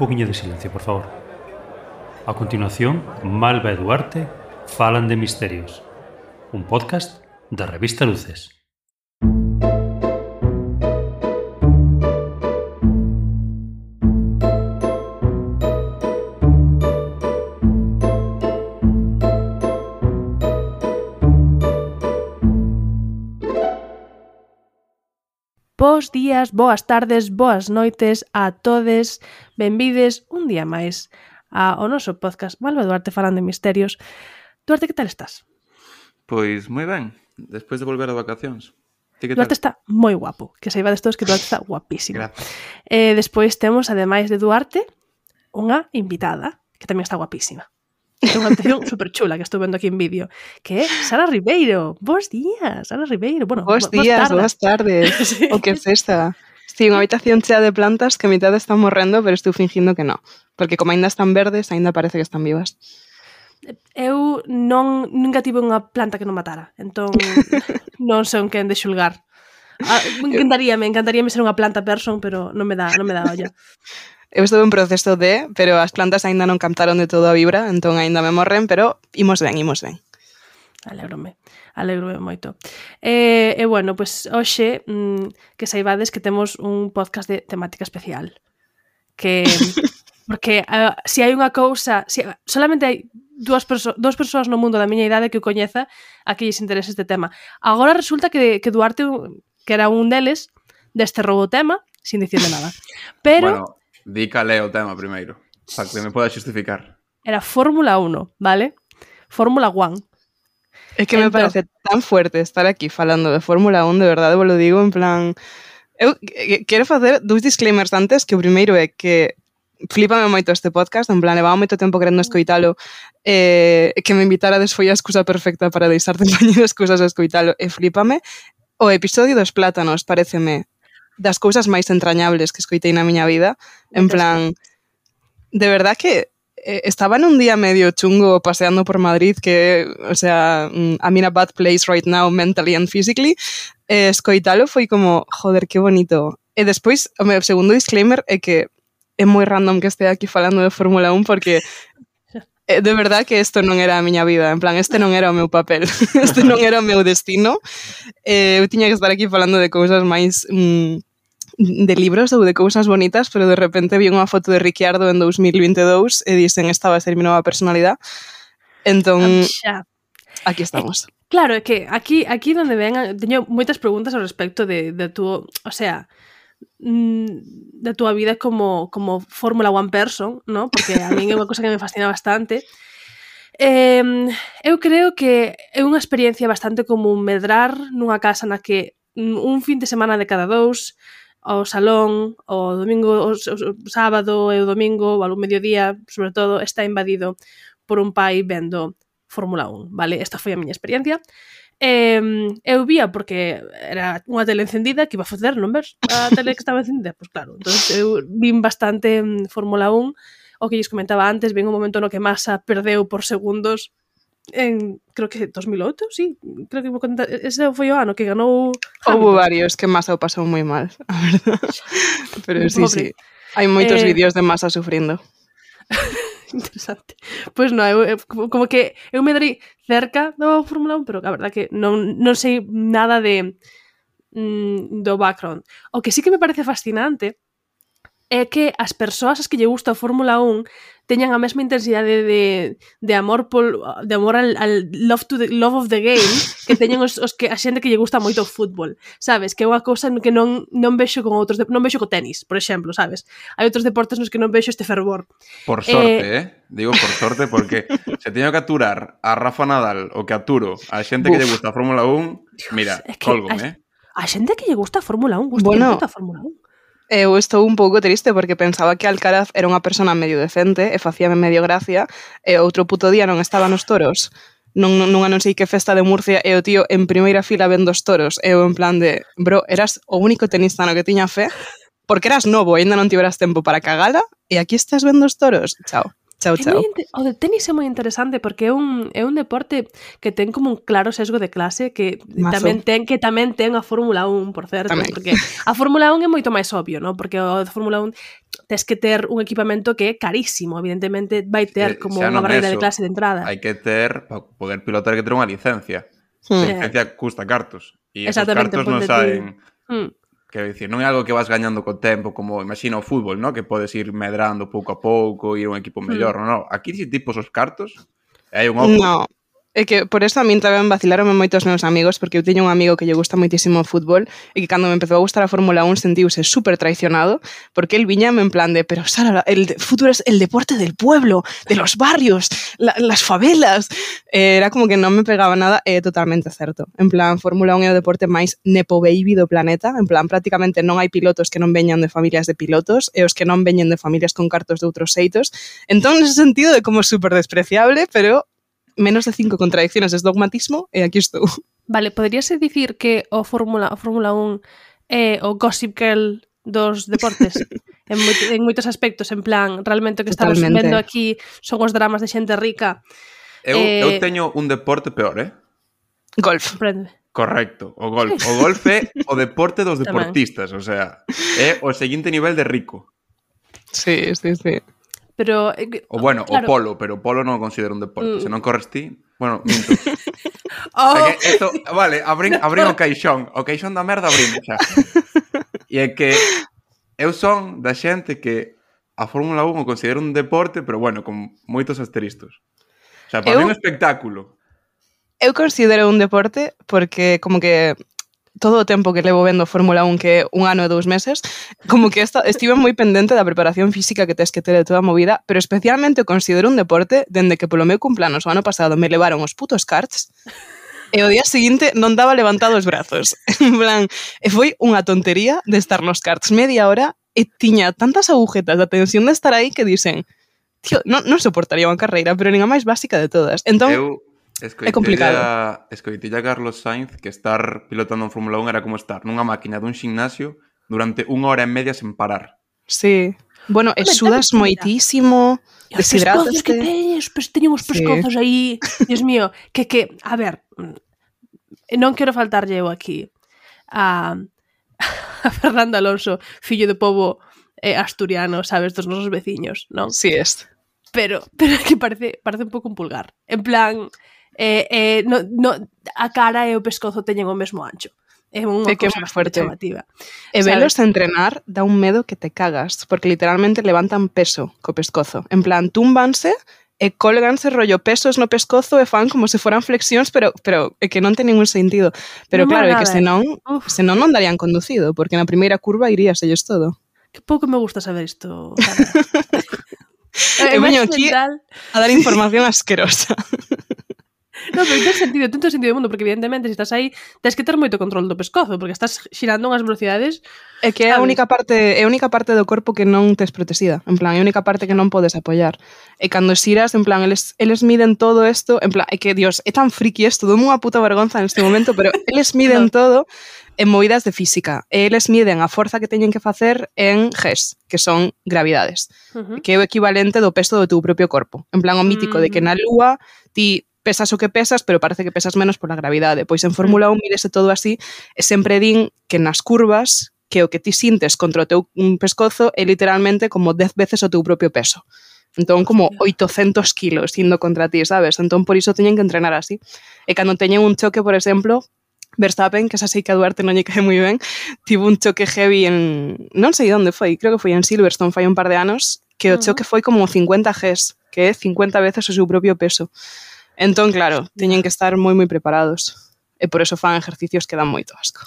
poquinho de silencio, por favor. A continuación, Malva e Duarte falan de misterios. Un podcast da revista Luces. Bos días, boas tardes, boas noites a todes. Benvides un día máis ao noso podcast Malva e Duarte falan de misterios. Duarte, que tal estás? Pois moi ben, despois de volver de vacacións. Ti que Duarte tal? está moi guapo, que saibades todos que Duarte está guapísimo. Gracias. Despois temos, ademais de Duarte, unha invitada, que tamén está guapísima. É unha atención super chula que estou vendo aquí en vídeo, que é Sara Ribeiro. Bos días, Sara Ribeiro. Bueno, Bos días, boas tardes. Sí. O que festa. Sí, unha habitación chea de plantas que a mitad están morrendo, pero estou fingindo que non. Porque como aínda están verdes, aínda parece que están vivas. Eu nunca tive unha planta que non matara, entón non sei en quen de xulgar. Me encantaríame ser unha planta person, pero non me dá olla. Eu estou en proceso pero as plantas aínda non captaron de todo a vibra, entón aínda me morren, pero imos ben. Alégrome moito. Bueno, pues hoxe que saibades que temos un podcast de temática especial. Que porque se hai unha cousa, solamente hai dúas persoas no mundo da miña idade que o coñeza a que lles interese este tema. Agora resulta que Duarte, que era un deles, desterrou o tema sin dicirle nada. Pero Bueno, di cal é o tema primeiro, para que me poda xustificar. era Fórmula 1, vale? Fórmula 1. É que me parece tan fuerte estar aquí falando de Fórmula 1, de verdade, vos lo digo, en plan... Eu quero facer dous disclaimers antes, que o primeiro é que flipame moito este podcast, en plan, levaba moito tempo querendo escoitalo, que me invitarades foi a excusa perfecta para deixar de poñer excusas a escoitalo, e flipame. O episodio dos plátanos pareceme das cousas máis entrañables que escoitei na miña vida, en plan, de verdad que estaba nun día medio chungo paseando por Madrid, que, o sea, I'm in a bad place right now, mentally and physically, escoitalo foi como, joder, que bonito. E despois, o meu segundo disclaimer é que é moi random que estea aquí falando de Fórmula 1, porque de verdad que isto non era a miña vida, en plan, este non era o meu papel, este non era o meu destino. Eu tiña que estar aquí falando de cousas máis de libros ou de cousas bonitas, pero de repente vi unha foto de Ricciardo en 2022 e dicen esta vai ser mi nova personalidade. Entón, aquí estamos. Claro, é que aquí donde ven, teño moitas preguntas ao respecto de tu, o sea, da túa vida como Fórmula 1 person, ¿no? Porque a min é unha cosa que me fascina bastante. Eu creo que é unha experiencia bastante común medrar nunha casa na que un fin de semana de cada dous, ao salón, o domingo, o sábado e o domingo, ou ao mediodía, sobre todo, está invadido por un pai vendo Fórmula 1, vale? Esta foi a miña experiencia. Eu vía porque era unha tele encendida, que iba a facer, non ves? A tele que estaba encendida, pois claro. Entón, eu vin bastante Fórmula 1, o que lles comentaba antes, vin un momento no que Massa perdeu por segundos en, creo que 2008, sí, creo que ese foi o ano que ganou Hamilton. Houve varios que Massa o pasou moi mal, a verdade. Pero sí, Pobre. sí, hai moitos vídeos de Massa sufrindo. Interesante. Pois non, eu como que eu me darei cerca do Fórmula 1, pero a verdade que non sei nada do background. O que sí que me parece fascinante é que as persoas as que lle gusta a Fórmula 1 teñan a mesma intensidade de amor al love of the game que teñen os que a xente que lle gusta moito o fútbol, sabes? Que é unha cousa que non vexo con outros, non vexo co tenis, por exemplo, sabes? Hai outros deportes nos que non vexo este fervor. Por sorte, digo por sorte, porque se teño que aturar a Rafa Nadal o que aturo a xente que lle gusta a Fórmula 1, mira, Es que colgome, a xente que lle gusta a Fórmula 1, gusta moito a Fórmula 1. Eu estou un pouco triste porque pensaba que Alcaraz era unha persona medio decente e facíame medio gracia, e outro puto día non estaba nos toros, non sei que festa de Murcia, e o tío en primeira fila vendo os toros, e eu en plan de, bro, eras o único tenista no que tiña fe, porque eras novo e ainda non tiveras tempo para cagala, e aquí estás vendo os toros, chao. Chao, chao. O de tenis é moi interesante porque é un deporte que ten como un claro sesgo de clase que tamén ten a Fórmula 1, por certo, Tamén. porque a Fórmula 1 é moito máis obvio, ¿no? Porque o de Fórmula 1 tes que ter un equipamento que é carísimo, evidentemente vai ter como unha barreira de clase de entrada. Hai que ter, para poder pilotar, hai que ter unha licencia. A licencia custa cartos. E esos cartos non saen... Quero dicir, non é algo que vas gañando co tempo, como imagina o fútbol, ¿no? Que podes ir medrando pouco a pouco, ir a un equipo mellor, non? Aquí si tipos os cartos, hai un oco. No, é que por eso a min tamén vacilaronme moitos meus amigos, porque eu teño un amigo que lle gusta moitísimo o fútbol e que cando me empezou a gustar a Fórmula 1 sentiuse súper traicionado, porque él viñame en plan de, pero Sara, el fútbol es el deporte del pueblo, de los barrios, las favelas. Era como que non me pegaba nada, é totalmente certo. En plan, Fórmula 1 é o deporte máis nepo baby do planeta, en plan, prácticamente non hai pilotos que non veñan de familias de pilotos e os que non veñen de familias con cartos de outros xeitos. Entón, nese sentido, é como súper despreciable, pero menos de 5 contradicciones es dogmatismo e aquí estou. Vale, poderíase dicir que o Fórmula 1 é o Gossip Girl dos deportes en moitos aspectos, en plan, realmente o que estamos vendo aquí son os dramas de xente rica. Eu teño un deporte peor, Golf. Prende. Correcto, o golf. O golf é o deporte dos deportistas, o sea, é o seguinte nivel de rico. Sí. Pero, o bueno, claro. O polo, pero o polo non o considero un deporte. Se non corres ti, bueno, minto. Esto, vale, abrín o caixón da merda abrín, xa. E é que eu son da xente que a Fórmula 1 o considero un deporte, pero bueno, con moitos asteristos. O sea, para mí é un espectáculo. Eu considero un deporte porque como que todo o tempo que levo vendo Fórmula 1, que é 1 ano e 2 meses, como que estive moi pendente da preparación física que tes que ter de toda a movida, pero especialmente o considero un deporte dende que polo meu cumpleanos o ano pasado me levaron os putos karts e o día seguinte non daba levantado os brazos. En plan, foi unha tontería de estar nos karts media hora e tiña tantas agujetas da tensión de estar aí que dicen, tío, non soportaría unha carreira, pero nin a máis básica de todas. Entón, é complicado. Escoitilla Carlos Sainz que estar pilotando en Fórmula 1 era como estar nunha máquina dun ximnasio durante 1 hora e media sen parar. Sí. Bueno, e sudas moitísimo, deshidrataste. Os pescozos que teñen os pescozos aí. Dios mío, que, a ver, non quero faltarlle eu aquí a Fernando Alonso, fillo de pobo asturiano, sabes, dos nosos veciños, non? Sí, Pero que parece un pouco un pulgar. En plan, a cara e o pescozo teñen o mesmo ancho. É unha cosa bastante chamativa. E velos entrenar dá un medo que te cagas, porque literalmente levantan peso co pescozo. En plan, túmbanse e colganse rollo pesos no pescozo e fan como se foran flexións, pero é que non ten ningún sentido. Pero non claro, é que senón non darían conducido, porque na primeira curva irías ellos todo. Que pouco me gusta saber isto. Eu veño aquí a dar información asquerosa. No, pero ten sentido do mundo, porque evidentemente se estás aí tens que ter moito control do pescozo, porque estás xirando unhas velocidades. É que é a única parte do corpo que non tes protexida, en plan, é a única parte que non podes apoiar. E cando xiras, en plan, eles miden todo isto, en plan, é que, Dios, é tan friki isto, dou unha puta vergonza neste momento, pero eles miden todo en movidas de física. E eles miden a forza que teñen que facer en Gs, que son gravidades, que é o equivalente do peso do teu propio corpo. En plan, o mítico de que na Lúa ti pesas o que pesas, pero parece que pesas menos pola gravidade. Pois en Fórmula 1 mídese todo así, e sempre din que nas curvas, que o que ti sintes contra o teu pescozo é literalmente como 10 veces o teu propio peso. Entón, como 800 kilos indo contra ti, sabes? Entón, por iso teñen que entrenar así. E cando teñen un choque, por exemplo, Verstappen, que esa sei que a Duarte non lle cae moi ben, tivo un choque heavy en... non sei onde foi, creo que foi en Silverstone, fai un par de anos, que o choque foi como 50 Gs, que é 50 veces o seu propio peso. Entón, claro, teñen que estar moi preparados. E por eso fan exercicios que dan moito asco.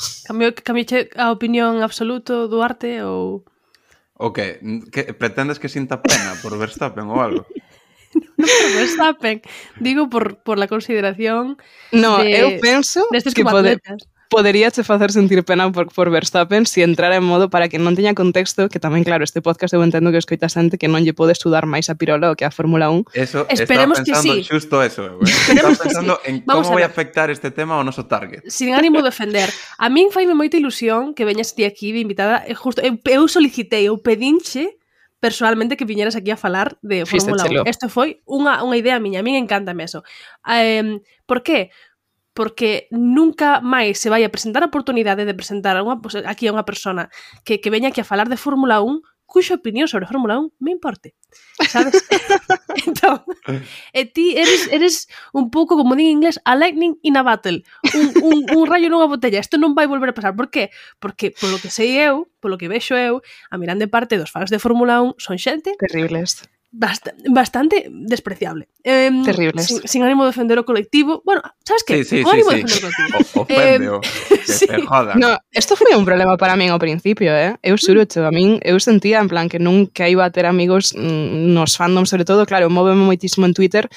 Cambiache a opinión absoluto, Duarte, ou... O que? Pretendes que sinta pena por Verstappen ou algo? Non por Verstappen, digo por la consideración. No, eu penso que poderíache facer sentir pena por Verstappen se entrara en modo para que non teña contexto, que tamén, claro, este podcast eu entendo que escoita xente que non lle pode estudar máis a pirola o que a Fórmula 1. Eso, esperemos que sí. Xusto eso, estaba pensando en como vai afectar este tema ao noso target. Sin ánimo de ofender. A min faime moita ilusión que veñas ti aquí de invitada. Justo, eu solicitei, eu pedinche personalmente que viñeras aquí a falar de Fórmula 1. Isto foi unha idea miña, a min encántame eso. Por qué? Porque nunca máis se vai a presentar a oportunidade de presentar aquí a unha persona que veña aquí a falar de Fórmula 1 cuxa opinión sobre Fórmula 1 me importe, sabes? Entón, ti eres un pouco, como din en inglés, a lightning in a battle, un rayo nunha botella. Isto non vai volver a pasar. Por qué? Porque, polo que sei eu, polo que vexo eu, a grande parte dos fans de Fórmula 1 son xente terribles, bastante despreciable. Terribles. Sin ánimo de defender o colectivo. Bueno, sabes que? Sí, ánimo de defender o colectivo. Ofende, que se joda. No, isto foi un problema para min ao principio, Eu xurocho, a min, eu sentía en plan que nunca iba a ter amigos nos fandom, sobre todo, claro, móveme moitísimo en Twitter.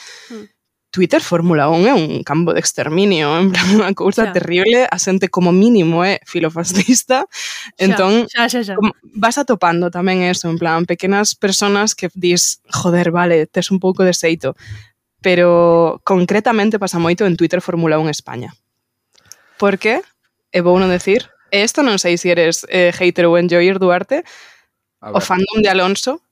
Twitter Fórmula 1 é un campo de exterminio, en plan, unha cousa terrible, a xente como mínimo é filofascista, entón xa. Vas atopando tamén eso, en plan, pequenas personas que dis, joder, vale, tes un pouco de xeito, pero concretamente pasa moito en Twitter Fórmula 1 España. Por qué? E vou non decir, e isto non sei se eres hater ou enjoyer, Duarte, o fandom de Alonso,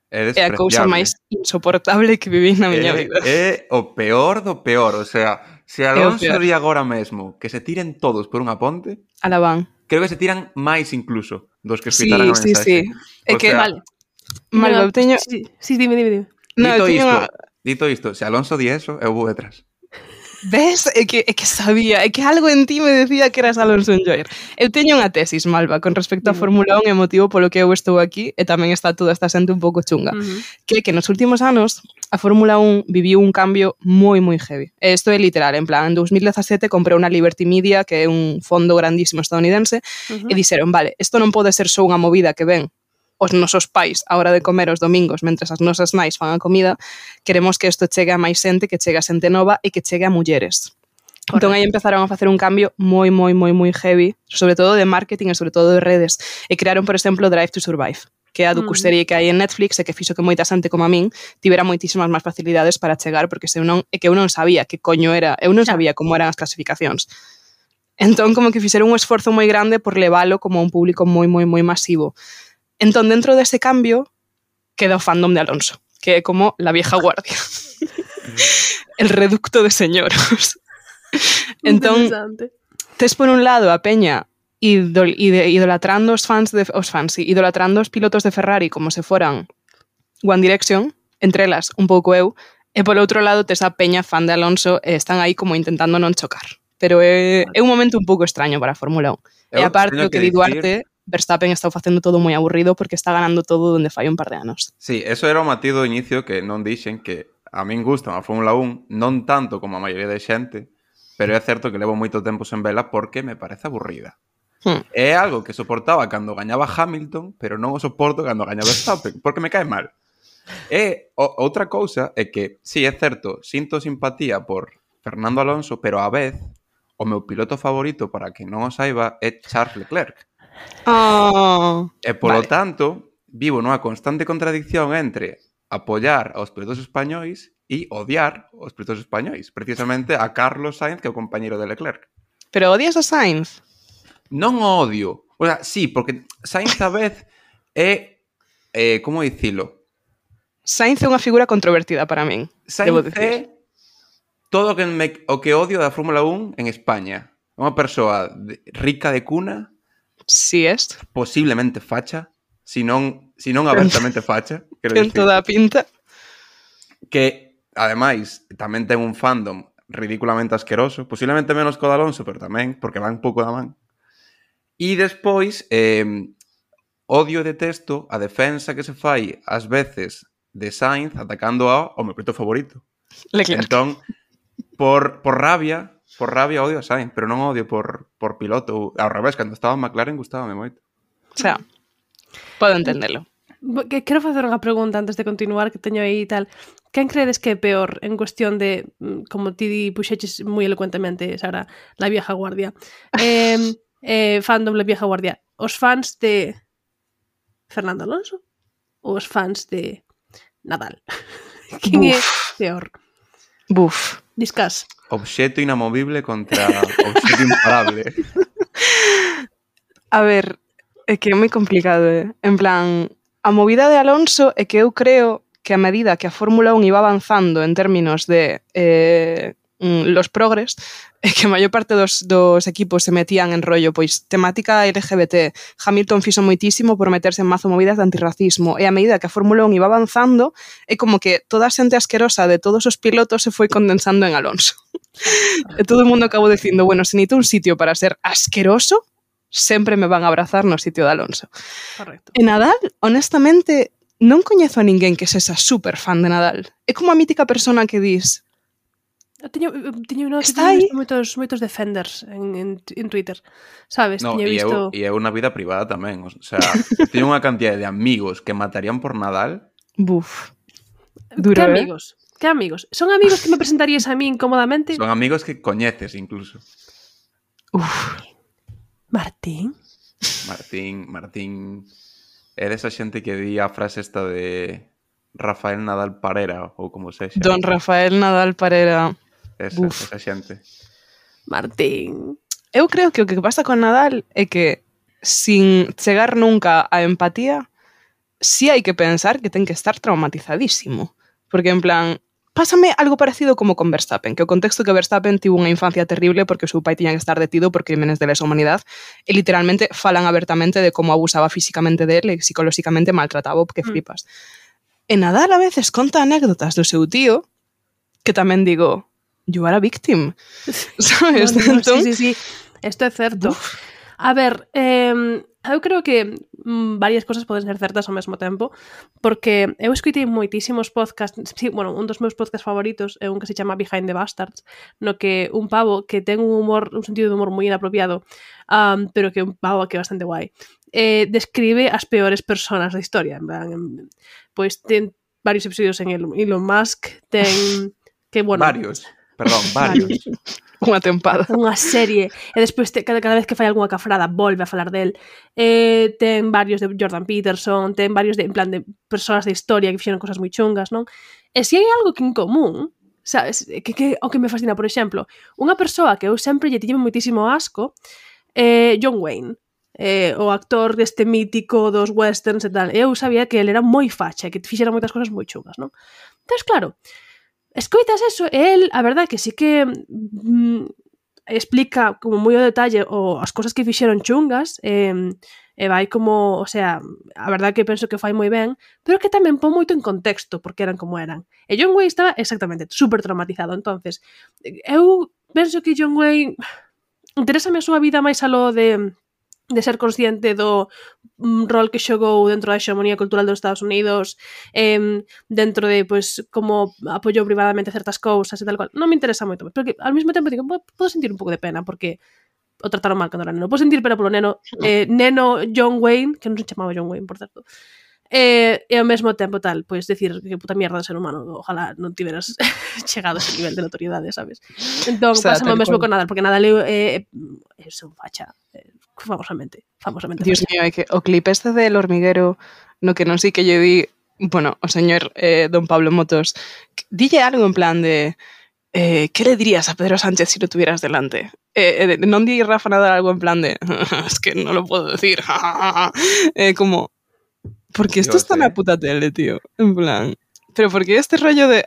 é a cousa máis insoportable que viví na miña vida. É o peor do peor, o sea, se Alonso di agora mesmo que se tiren todos por unha ponte, alabán. Creo que se tiran máis incluso dos que escritaran a mensaxe. Sí. É que, vale. Malva, eu teño... Sí, dime. Dito isto, se Alonso di eso, eu vou detrás. Ves? É que sabía, é que algo en ti me decía que eras Alonso enjoyer. Eu teño unha tesis, Malva, con respecto a Fórmula 1 e motivo polo que eu estou aquí, e tamén está toda esta xente un pouco chunga. Que nos últimos anos a Fórmula 1 viviu un cambio moi heavy. E isto é literal, en plan, en 2017 comprou unha Liberty Media, que é un fondo grandísimo estadounidense, e dixeron, vale, isto non pode ser só unha movida que ven os nosos pais a hora de comer os domingos mentres as nosas nais fan a comida, queremos que isto chegue a máis xente, que chegue a xente nova e que chegue a mulleres. Correcto. Entón aí empezaron a facer un cambio moi heavy, sobre todo de marketing e sobre todo de redes, e crearon, por exemplo, Drive to Survive, que é a docuserie que hai en Netflix e que fixo que moita xente como a min tivera moitísimas máis facilidades para chegar, porque eu non sabía que coño era, eu non sabía como eran as clasificacións. Entón, como que fixeron un esforzo moi grande por levalo como a un público moi masivo. Entón, dentro dese cambio, queda o fandom de Alonso, que é como la vieja guardia. El reducto de señoros. Entón, tes por un lado a peña idolatrando idolatrando os pilotos de Ferrari como se foran One Direction, entre elas un pouco eu, e por outro lado tes a peña fan de Alonso e están aí como intentando non chocar. Pero é un momento un pouco extraño para a Fórmula 1. E aparte o que di Duarte, Verstappen está facendo todo moi aburrido porque está ganando todo donde fai un par de anos. Sí, eso era o matiz do inicio que non dixen que a min gustan a Fórmula 1, non tanto como a maioría de xente, pero é certo que levo moito tempo sen vela porque me parece aburrida. É algo que soportaba cando gañaba Hamilton, pero non o soporto cando gañaba Verstappen, porque me cae mal. E outra cousa é que, sí, é certo, sinto simpatía por Fernando Alonso, pero a vez o meu piloto favorito, para quen non o saiba, é Charles Leclerc. E polo tanto, vivo nunha constante contradicción entre apoiar aos pilotos españois e odiar aos pilotos españois, precisamente a Carlos Sainz, que é o compañeiro de Leclerc. Pero odias a Sainz? Non o odio. O sea, sí, porque Sainz a vez é... como dicilo? Sainz é unha figura controvertida para min. Sainz é todo o que odio da Fórmula 1 en España. Unha persoa rica de cuna, si es posiblemente facha, si non abertamente facha, ten toda a pinta, que ademais tamén ten un fandom ridículamente asqueroso, posiblemente menos co de Alonso, pero tamén porque van un pouco da man. E despois odio e detesto a defensa que se fai ás veces de Sainz atacando ao meu piloto favorito. Leclerc. Entón, por rabia odio a Sainz, pero non odio por piloto. Ao revés, cando estaba en McLaren gustábame moito. O sea, podo entendelo. Quero facer unha pregunta antes de continuar, que teño aí e tal. Quen credes que é peor en cuestión de, como ti puxeches moi elocuentemente, Sara, la vieja guardia? Fandom la vieja guardia. Os fans de Fernando Alonso ou os fans de Nadal? Quen é peor? Buf. Discas. Obxeto inamovible contra obxeto imparable. A ver, é que é moi complicado, En plan, a movida de Alonso é que eu creo que a medida que a Fórmula 1 iba avanzando en términos de los progres, é que a maior parte dos equipos se metían en rollo, pois, temática LGBT. Hamilton fixo moitísimo por meterse en mazo movidas de antirracismo, e a medida que a Fórmula 1 iba avanzando, é como que toda a xente asquerosa de todos os pilotos se foi condensando en Alonso. E todo o mundo acabou dicindo, bueno, se necesito un sitio para ser asqueroso, sempre me van a abrazar no sitio de Alonso. Correcto. E Nadal, honestamente, non coñezo a ninguén que sexa super fan de Nadal. É como a mítica persona que dis, Teño Está aí. visto moitos defenders en Twitter, sabes? No, Teño visto... e eu na vida privada tamén. O sea, teño unha cantidad de amigos que matarían por Nadal. buf, duro, Que amigos? Que amigos? Son amigos que me presentarías a mí incómodamente? Son amigos que coñeces incluso. Uf. Martín? Martín é desa xente que di a frase esta de Rafael Nadal Parera ou como sexa. Don Rafael Nadal Parera. Esa xente. Martín. Eu creo que o que pasa con Nadal é que sin chegar nunca a empatía, sí hai que pensar que ten que estar traumatizadísimo. Porque en plan, pásame algo parecido como con Verstappen, que o contexto que Verstappen tivo unha infancia terrible porque o seu pai tiña que estar detido por crímenes de lesa humanidade e literalmente falan abertamente de como abusaba físicamente dele e psicolóxicamente maltrataba, que flipas. E Nadal a veces conta anécdotas do seu tío que tamén digo, you are a victim. ¿Sabes? No, Entón, sí. Esto é certo. A ver, eu creo que varias cosas poden ser certas ao mesmo tempo, porque eu escoitei moitísimos podcasts, sí, bueno, un dos meus podcasts favoritos é un que se chama Behind the Bastards, no que un pavo que ten un sentido de humor moi inapropiado, pero que un pavo que é bastante guai, describe as peores persoas da historia, en plan, pois ten varios episodios en Elon Musk, ten que, bueno... Varios. unha tempada. Unha serie. E despois cada vez que fai algunha cafrada volve a falar del. Ten varios de Jordan Peterson, ten varios de, en plan, de persoas de historia que fixeron cosas moi chungas, non? E se hai algo que en común, sabes, que o que me fascina, por exemplo, unha persoa que eu sempre lle tiño moitísimo asco, John Wayne, o actor deste mítico dos westerns e tal. Eu sabía que ele era moi facha, que fixera moitas cosas moi chungas, non? Entón, claro, escoitas eso, e el, a verdade que sí que explica como moi ao detalle as cosas que fixeron chungas, e vai como, o sea, a verdade que penso que fai moi ben, pero que tamén pon moito en contexto, porque eran como eran. E John Wayne estaba exactamente super traumatizado, entonces eu penso que John Wayne interésame a súa vida máis aló de ser consciente do rol que xogou dentro da hexemonía cultural dos Estados Unidos, dentro de, pois, como apoiou privadamente certas cousas e tal cual. Non me interesa moito, pero que ao mesmo tempo digo, podo sentir un pouco de pena, porque o trataron mal cando era neno. Podo sentir pena polo neno, neno John Wayne, que non se chamaba John Wayne, por certo. E ao mesmo tempo tal, pois decir que puta mierda de ser humano, ojalá non tiveras chegado a ese nivel de notoriedade, sabes? Entón, o sea, pásame o mesmo con Nadal, porque Nadal é un facha, famosamente. Dios mío, é que o clip este del hormiguero no que non sei que lle di, bueno, o señor don Pablo Motos, dille algo en plan de ¿qué le dirías a Pedro Sánchez si lo tuvieras delante? Non di Rafa Nadal algo en plan de es que no lo puedo decir, como porque esto está en la puta tele, tío, en plan, pero porque este rollo de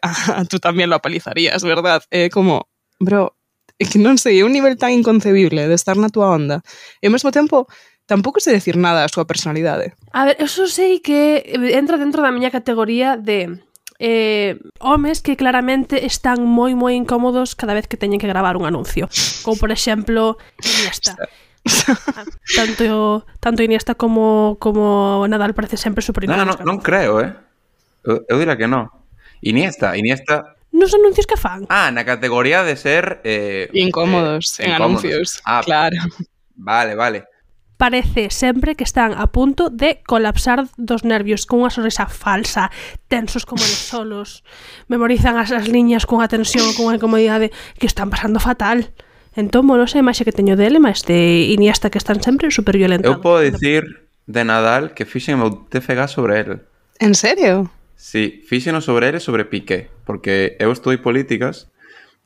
tú también lo apalizarías, ¿verdad? Como, bro, é que non sei, é un nivel tan inconcebible de estar na tua onda e ao mesmo tempo tampouco sei decir nada a súa personalidade. A ver, eu só sei que entra dentro da miña categoría de homes que claramente están moi incómodos cada vez que teñen que gravar un anuncio, como por exemplo Iniesta. tanto Iniesta como Nadal parece sempre super incómodos. Non creo, eu diría que non. Iniesta nos anuncios que fan. Na categoría de ser incómodos en anuncios. Claro. Vale. Parece sempre que están a punto de colapsar dos nervios con unha sonrisa falsa, tensos como eles solos, memorizan as liñas cunha tensión, cunha incomodidade que están pasando fatal. Entón, non sei a imaxe que teño dele, mas de Iniesta que están sempre super violentados. Eu podo dicir de Nadal que fixen o TFG sobre el. En serio? Sí, fíxeno sobre ele sobre Piqué, porque eu estudei políticas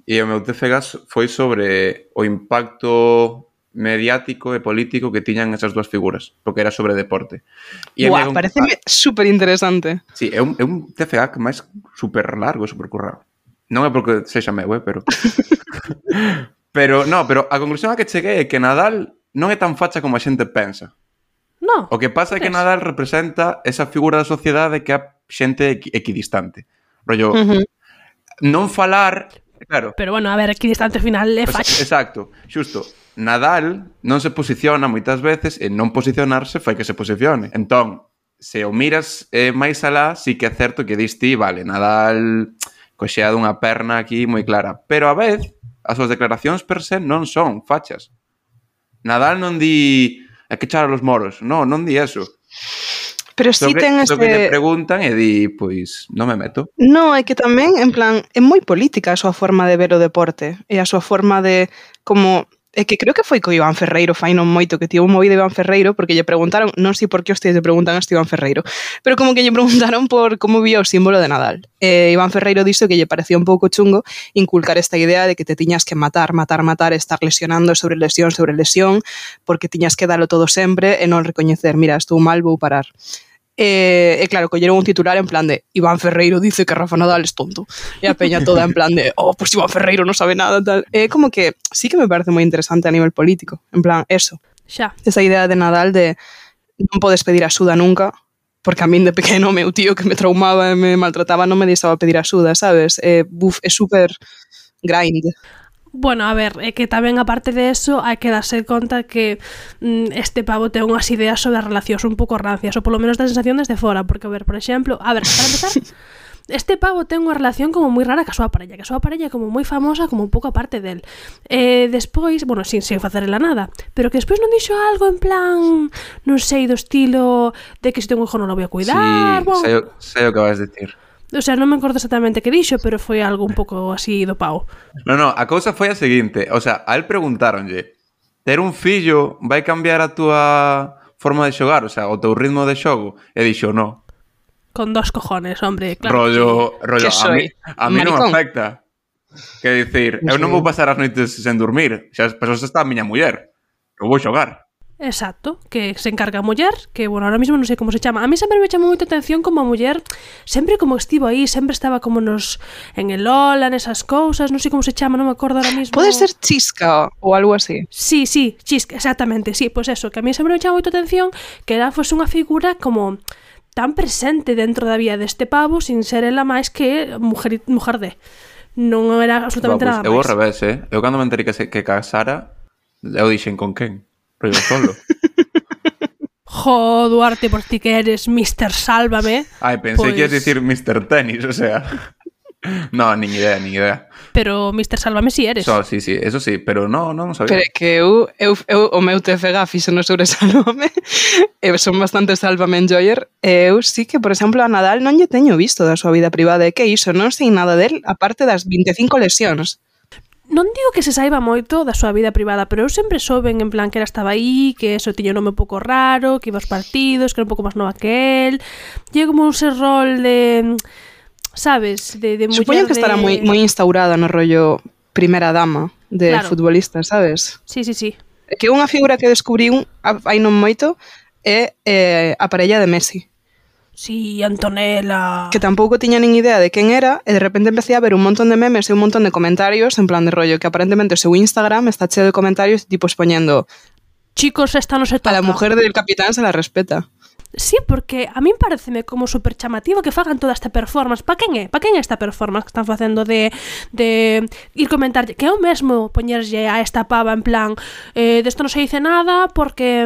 e o meu TFG foi sobre o impacto mediático e político que tiñan esas dúas figuras, porque era sobre deporte. Buah, pareceme super interesante. Sí, é un TFA que máis super largo, super currado. Non é porque sexa meu, pero... pero a conclusión a que cheguei é que Nadal non é tan facha como a xente pensa. No. O que pasa é que Nadal representa esa figura da sociedade que é xente equidistante. Rollo, non falar... Claro. Pero bueno, a ver, equidistante ao final é facha. Exacto, xusto. Nadal non se posiciona moitas veces e non posicionarse fai que se posicione. Entón, se o miras máis alá, sí que é certo que dis ti, vale, Nadal coxea dunha perna aquí moi clara. Pero a vez, as súas declaracións per se non son fachas. Nadal non di hai que echar a los moros. Non di eso. Pero si ten que lle preguntan e di, pois, non me meto. No, é que tamén, en plan, é moi política a súa forma de ver o deporte e a súa forma de, como, é que creo que foi co Iván Ferreiro, fai non moito, que tivo un movido Iván Ferreiro, porque lle preguntaron, non sei por que hostias lle preguntan a este Iván Ferreiro, pero como que lle preguntaron por como vía o símbolo de Nadal. Iván Ferreiro dixo que lle parecía un pouco chungo inculcar esta idea de que te tiñas que matar, estar lesionando sobre lesión, porque tiñas que dalo todo sempre e non recoñecer, mira, estou mal, vou parar. E claro, colleron un titular en plan de Iván Ferreiro dice que Rafa Nadal es tonto e a peña toda en plan de pues Iván Ferreiro non sabe nada tal. Como que sí que me parece moi interesante a nivel político, en plan, eso xa. Esa idea de Nadal de non podes pedir axuda nunca, porque a min de pequeno meu tío que me traumaba e me maltrataba non me deixaba pedir axuda, sabes? É super grind. Bueno, a ver, é que tamén aparte de eso hai que darse conta que este pavo ten unhas ideas sobre as relacións un pouco rancias, ou polo menos da sensación desde fora, porque, a ver, por exemplo, para empezar, este pavo ten unha relación como moi rara ca súa parella, é como moi famosa, como un pouco aparte del. Despois, bueno, sin facerela nada, pero que despois non dixo algo en plan, non sei, do estilo de que se ten un hijo non lo voy a cuidar. Sí, bueno, sei o que vas decir. O sea, non me acordo exactamente que dixo, pero foi algo un pouco así do pau. No, a cousa foi a seguinte. O sea, a él preguntáronlle, ter un fillo vai cambiar a túa forma de xogar? O sea, o teu ritmo de xogo? E dixo, no. Con dos cojones, hombre, claro. Rollo, a mí non me afecta. Que dicir, eu non vou pasar as noites sen dormir. Xa, pero está a miña muller. Eu vou xogar. Exacto, que se encarga a muller, que, bueno, ahora mismo non sei como se chama. A mí sempre me chamou moita atención como a muller, sempre como estivo aí, sempre estaba como en el Lola, nesas cousas, non sei como se chama, non me acordo ahora mismo. Pode ser Chisca ou algo así. Sí, Chisca, exactamente, sí, pois eso, que a mí sempre me chamou moita atención que ela fose unha figura como tan presente dentro da vida deste pavo, sin ser ela máis que mujer de. Non era absolutamente nada máis. Eu ao revés, eu cando me enterei que casara, eu dixen con quen? Rollo solo. Jo, Duarte, por ti que eres Mr. Sálvame. Ai, pensei que ibas dicir Mr. Tenis, o sea... No, nin idea. Pero Mr. Sálvame si eres. Sí, eso sí, pero non sabía. Pero que eu o meu TFG fixo no sobre Sálvame, son bastante Sálvame enjoyer, eu sí que, por exemplo, a Nadal non lle teño visto da súa vida privada, e que iso, non sei nada del, aparte das 25 lesións. Non digo que se saiba moito da súa vida privada, pero eu sempre souben en plan que ela estaba aí, que eso tiña un nome un pouco raro, que iba aos partidos, que era un pouco máis nova que el. E como un rol de, sabes, de muller. Supoño que estará moi instaurada no rollo primeira dama de claro. Futbolista, sabes? Sí. Que unha figura que descubriu hai non moito é a parella de Messi. Sí, Antonella. Que tampouco tiña nin idea de quen era e de repente empecé a ver un montón de memes e un montón de comentarios en plan de rollo que aparentemente o seu Instagram está cheo de comentarios tipos poñendo chicos, esta no se toca. A la mujer del capitán se la respeta. Sí, porque a min pareceme como super chamativo que fagan toda esta performance. Pa quen é? Pa quen é esta performance que están facendo de ir comentar que é o mesmo poñerlle a esta pava en plan desto non se dice nada porque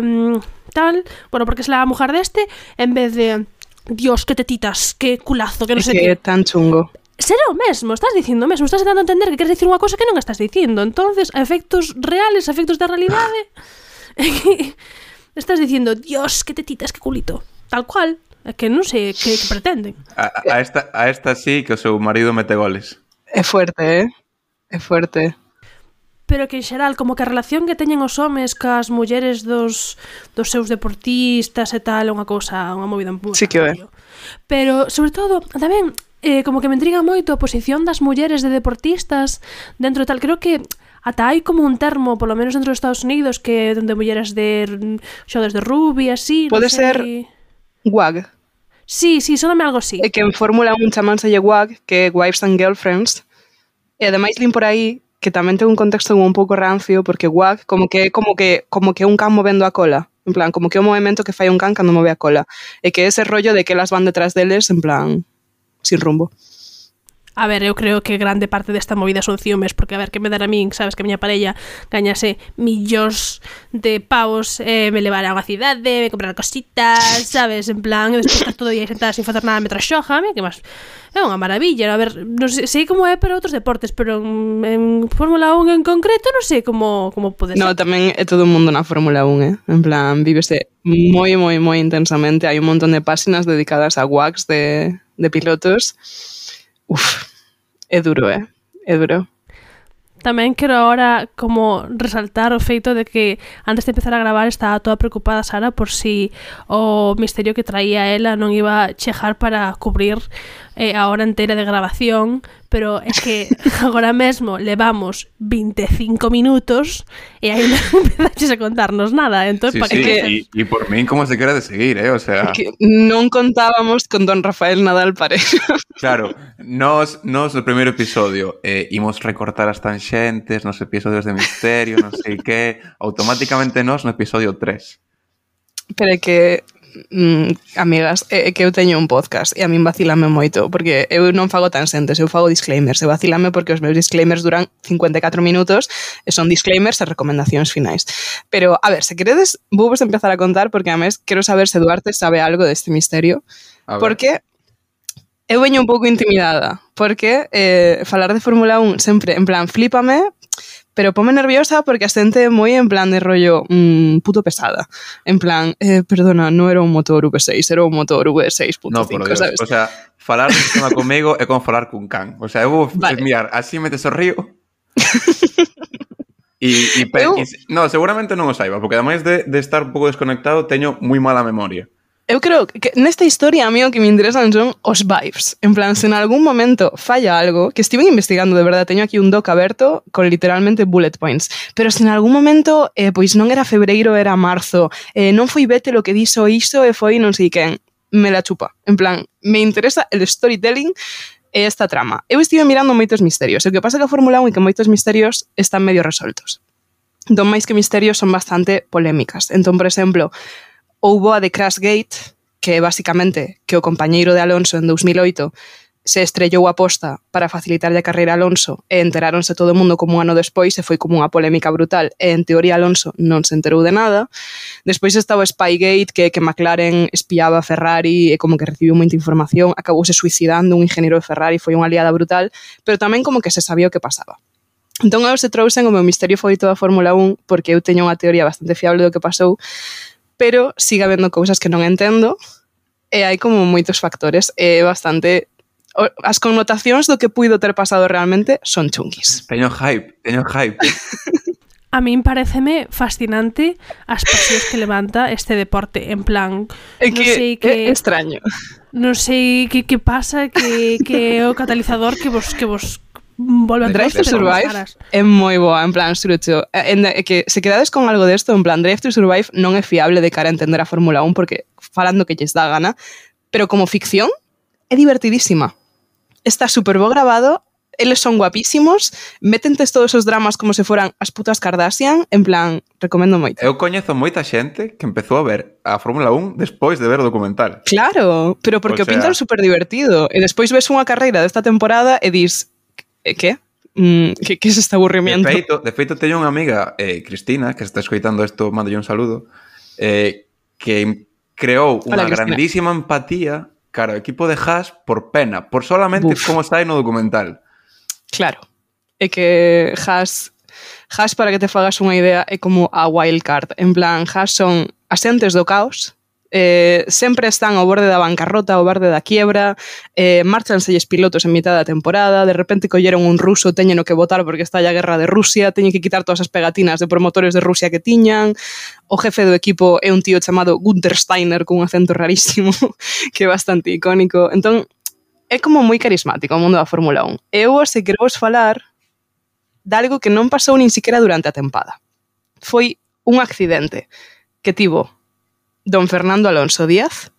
tal, bueno, porque es la mujer deste en vez de Dios, que tetitas, que culazo, que non sei que. É tan chungo. Será o mesmo, estás dicindo o mesmo, estás dando a entender que queres dicir unha cosa que non estás dicindo. Entonces, a efectos reales, a efectos da realidade, estás dicindo, Dios, que tetitas, que culito. Tal cual, é que non sei que pretenden. A esta sí que o seu marido mete goles. É fuerte, É fuerte. Pero que en xeral, como que a relación que teñen os homes cas mulleres dos seus deportistas e tal, é unha cousa, unha movida moi sí que é. Pero, sobre todo, tamén, como que me intriga moito a posición das mulleres de deportistas dentro de tal. Creo que ata hai como un termo, polo menos dentro dos Estados Unidos, que donde mulleres de xogadores de rugby, así, Pode non sei. ser WAG. Sí, soname algo así. É que en Fórmula 1 chamánselle WAG, que é Wives and Girlfriends, e ademais lin por aí que tamén ten un contexto un pouco rancio, porque WAG como que un can movendo a cola, en plan, como que é un movimento que fai un can cando move a cola, e que ese rollo de que elas van detrás deles, en plan, sin rumbo. A ver, eu creo que grande parte desta movida son ciúmes, porque a ver, que me dará a min, sabes, que a miña parella gañase millóns de pavos, me levar a unha cidade, me comprar cositas, sabes, en plan, e despois estar todo o día sentada sin facer nada mentre xoja, a mí que máis é unha maravilla, a ver, non sei como é para outros deportes, pero en Fórmula 1 en concreto non sei como pode ser. No, tamén é todo o mundo na Fórmula 1, en plan, vívese moi intensamente, hai un montón de páxinas dedicadas a WAGs de pilotos. Uf, é duro, é duro. Tamén quero agora como resaltar o feito de que antes de empezar a gravar estaba toda preocupada Sara por si o misterio que traía ela non iba a chejar para cubrir a hora entera de grabación, pero é que agora mesmo levamos 25 minutos e aí non empezaches a contarnos nada, entón, sí, para sí, que... y por min como se quera de seguir, o sea... Que non contábamos con don Rafael Nadal Pareja. Claro, nos no primeiro episodio imos recortar as tanxentes nos episodios de misterio, non sei que, automáticamente nos no episodio 3. Pero é que amigas, é que eu teño un podcast e a min vacilame moito, porque eu non fago tanxentes, eu fago disclaimers, e vacilame porque os meus disclaimers duran 54 minutos e son disclaimers e recomendacións finais. Pero, a ver, se queredes, vos empezar a contar, porque a mes quero saber se Duarte sabe algo deste misterio, porque eu veño un pouco intimidada, porque falar de Fórmula 1 sempre, en plan, flípame, pero pome nerviosa porque a xente moi en plan de rollo puto pesada. En plan, perdona, non era un motor V6, era un motor V6.5, no, por Dios, sabes? O sea, falar de tema comigo é como falar cun can. O sea, eu vou mirar, así metes o río. No, seguramente non o saiba, porque ademais de estar un pouco desconectado, teño moi mala memoria. Eu creo que nesta historia a mí o que me interesan son os vibes. En plan, se en algún momento falla algo, que estiven investigando, de verdade, teño aquí un doc aberto con literalmente bullet points, pero se en algún momento, pois non era febreiro, era marzo, non foi Vettel o que dixo iso e foi non sei quen, me la chupa. En plan, me interesa el storytelling e esta trama. Eu estive mirando moitos misterios, o que pasa que a Fórmula 1 é que moitos misterios están medio resoltos. Entón, máis que misterios, son bastante polémicas. Entón, por exemplo, houbo a de Crashgate, que é basicamente que o compañeiro de Alonso en 2008 se estrellou a posta para facilitarlle a carreira a Alonso e enteráronse todo o mundo como un ano despois e foi como unha polémica brutal e en teoría Alonso non se enterou de nada. Despois estaba o Spygate, que McLaren espiaba a Ferrari e como que recibiu moita información, acabouse suicidando un ingeniero de Ferrari, foi unha liada brutal, pero tamén como que se sabía o que pasaba. Entón eu se trouxen o meu misterio favorito da Fórmula 1 porque eu teño unha teoría bastante fiable do que pasou, pero sigue habendo cousas que non entendo e hai como moitos factores e bastante... As connotacións do que puido ter pasado realmente son chunguis. Teño hype. A min pareceme fascinante as pasións que levanta este deporte, en plan... É que sei que, é extraño. Non sei que pasa, que é o catalizador que vos volve a Drive to Survive é moi boa, en plan, surucho. É que se quedades con algo desto, en plan, Drive to Survive non é fiable de cara a entender a Fórmula 1 porque falando que lles dá gana, pero como ficción é divertidísima. Está super bo grabado, eles son guapísimos, metentes todos os dramas como se foran as putas Kardashian, en plan, recomendo moito. Eu coñezo moita xente que empezou a ver a Fórmula 1 despois de ver o documental. Claro, pero porque o pintan super divertido. E despois ves unha carreira desta temporada e dis... Que? Que é este aburrimiento? De feito, teño unha amiga, Cristina, que está escoitando isto, mándolle un saludo, que creou unha grandísima empatía cara ao equipo de Haas por pena, por solamente como sai no documental. Claro. É que Haas, para que te fagas unha idea, é como a wildcard. En plan, Haas son asentes do caos, sempre están ao borde da bancarrota, ao borde da quiebra, marchanselles pilotos en mitad da temporada, de repente colleron un ruso, teñeno que votar porque está a guerra de Rusia, teñen que quitar todas as pegatinas de promotores de Rusia que tiñan, o jefe do equipo é un tío chamado Gunther Steiner con un acento rarísimo que é bastante icónico. Entón, é como moi carismático o mundo da Fórmula 1. Eu, se quero vos falar, de algo que non pasou nin siquiera durante a tempada. Foi un accidente que tivo don Fernando Alonso Díaz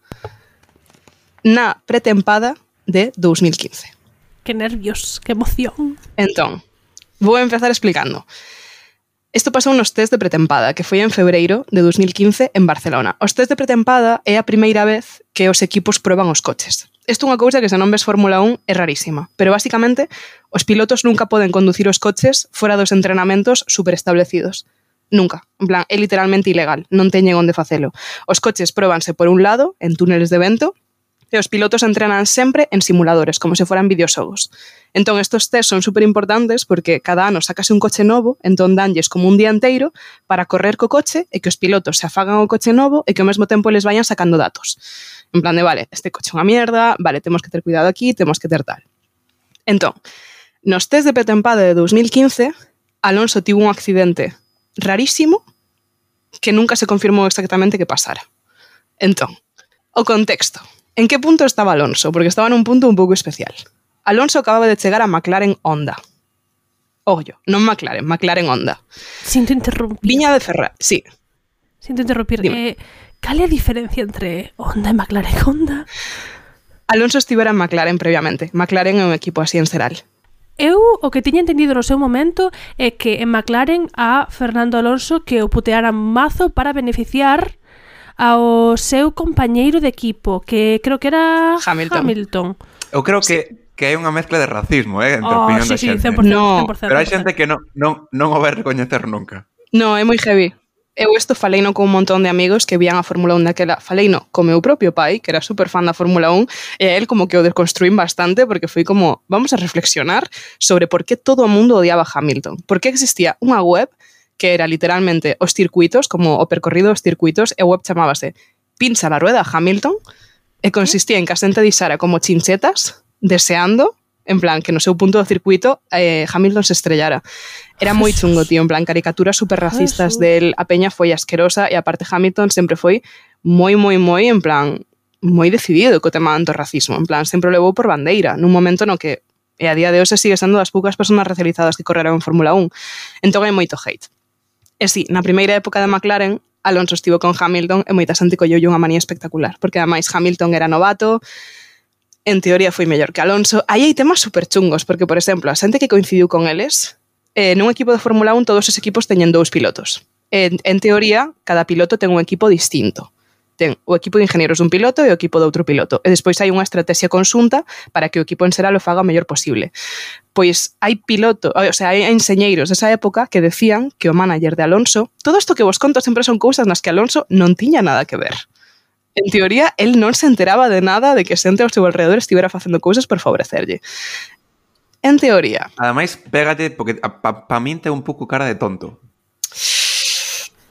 na pretempada de 2015. Que nervios, que emoción. Entón, vou empezar explicando. Isto pasou nos test de pretempada, que foi en febreiro de 2015 en Barcelona. Os test de pretempada é a primeira vez que os equipos proban os coches. Isto é unha cousa que se non ves Fórmula 1 é rarísima, pero basicamente os pilotos nunca poden conducir os coches fora dos entrenamentos superestablecidos. Nunca. En plan, é literalmente ilegal, non teñen onde facelo. Os coches próbanse por un lado, en túneles de vento, e os pilotos entrenan sempre en simuladores, como se foran videoxogos. Entón, estos test son super importantes porque cada ano sacase un coche novo, entón danlles como un día inteiro para correr co coche e que os pilotos se afagan o coche novo e que ao mesmo tempo les vayan sacando datos. En plan de, vale, este coche é unha mierda, vale, temos que ter cuidado aquí, temos que ter tal. Entón, nos test de pretempada de 2015, Alonso tivo un accidente rarísimo que nunca se confirmou exactamente que pasara. Entón, o contexto. En que punto estaba Alonso? Porque estaba nun punto un pouco especial. Alonso acababa de chegar a McLaren Honda. Ollo, non McLaren, McLaren Honda. Sinto interrumpir. Viña de Ferrari, sí. Sinto interrumpir. Cal é a diferencia entre Honda e McLaren Honda? Alonso estivera en McLaren previamente. McLaren é un equipo así en xeral. Eu o que tiña entendido no seu momento é que en McLaren a Fernando Alonso que o putearan mazo para beneficiar ao seu compañeiro de equipo, que creo que era Hamilton. Eu creo que hai unha mezcla de racismo, entre a opinión da xente. 100%, no, 100%. Pero hai xente que non o vai recoñecer nunca. No, é moi heavy. Eu isto faleino con un montón de amigos que vían a Fórmula 1 daquela. Faleino con meu propio pai, que era super fan da Fórmula 1, e a él como que o desconstruín bastante porque foi como, vamos a reflexionar sobre por que todo o mundo odiaba a Hamilton. Por que existía unha web que era literalmente os circuitos, como o percorrido dos circuitos, e a web chamábase Pincha la rueda Hamilton, e consistía en que a xente dixara como chinchetas, deseando, en plan, que no seu punto do circuito Hamilton se estrellara. Era moi chungo, tío, en plan, caricaturas super racistas del, a peña foi asquerosa, e aparte Hamilton sempre foi moi, en plan, moi decidido co tema do racismo, en plan, sempre o levou por bandeira, nun momento no que, e a día de hoxe sigue sendo das poucas persoas racializadas que correron en Fórmula 1. Entón hai moito hate. E si, na primeira época de McLaren, Alonso estivo con Hamilton e moita xente colleulle unha manía espectacular, porque ademais Hamilton era novato, en teoría foi mellor que Alonso. Aí hai temas super chungos, porque, por exemplo, a xente que coincidiu con eles, nun equipo de Fórmula 1 todos os equipos teñen 2 pilotos. En teoría, cada piloto ten un equipo distinto. Ten o equipo de ingenieros dun piloto e o equipo de outro piloto. E despois hai unha estrategia conxunta para que o equipo en xeral o faga o mellor posible. Pois hai hai enxeñeiros desa época que decían que o manager de Alonso, todo isto que vos conto sempre son cousas nas que Alonso non tiña nada que ver. En teoría, el non se enteraba de nada de que xente ao seu alrededor estivera facendo cousas por favorecerlle. En teoría. Ademais, pégate, porque pa min ten un pouco cara de tonto.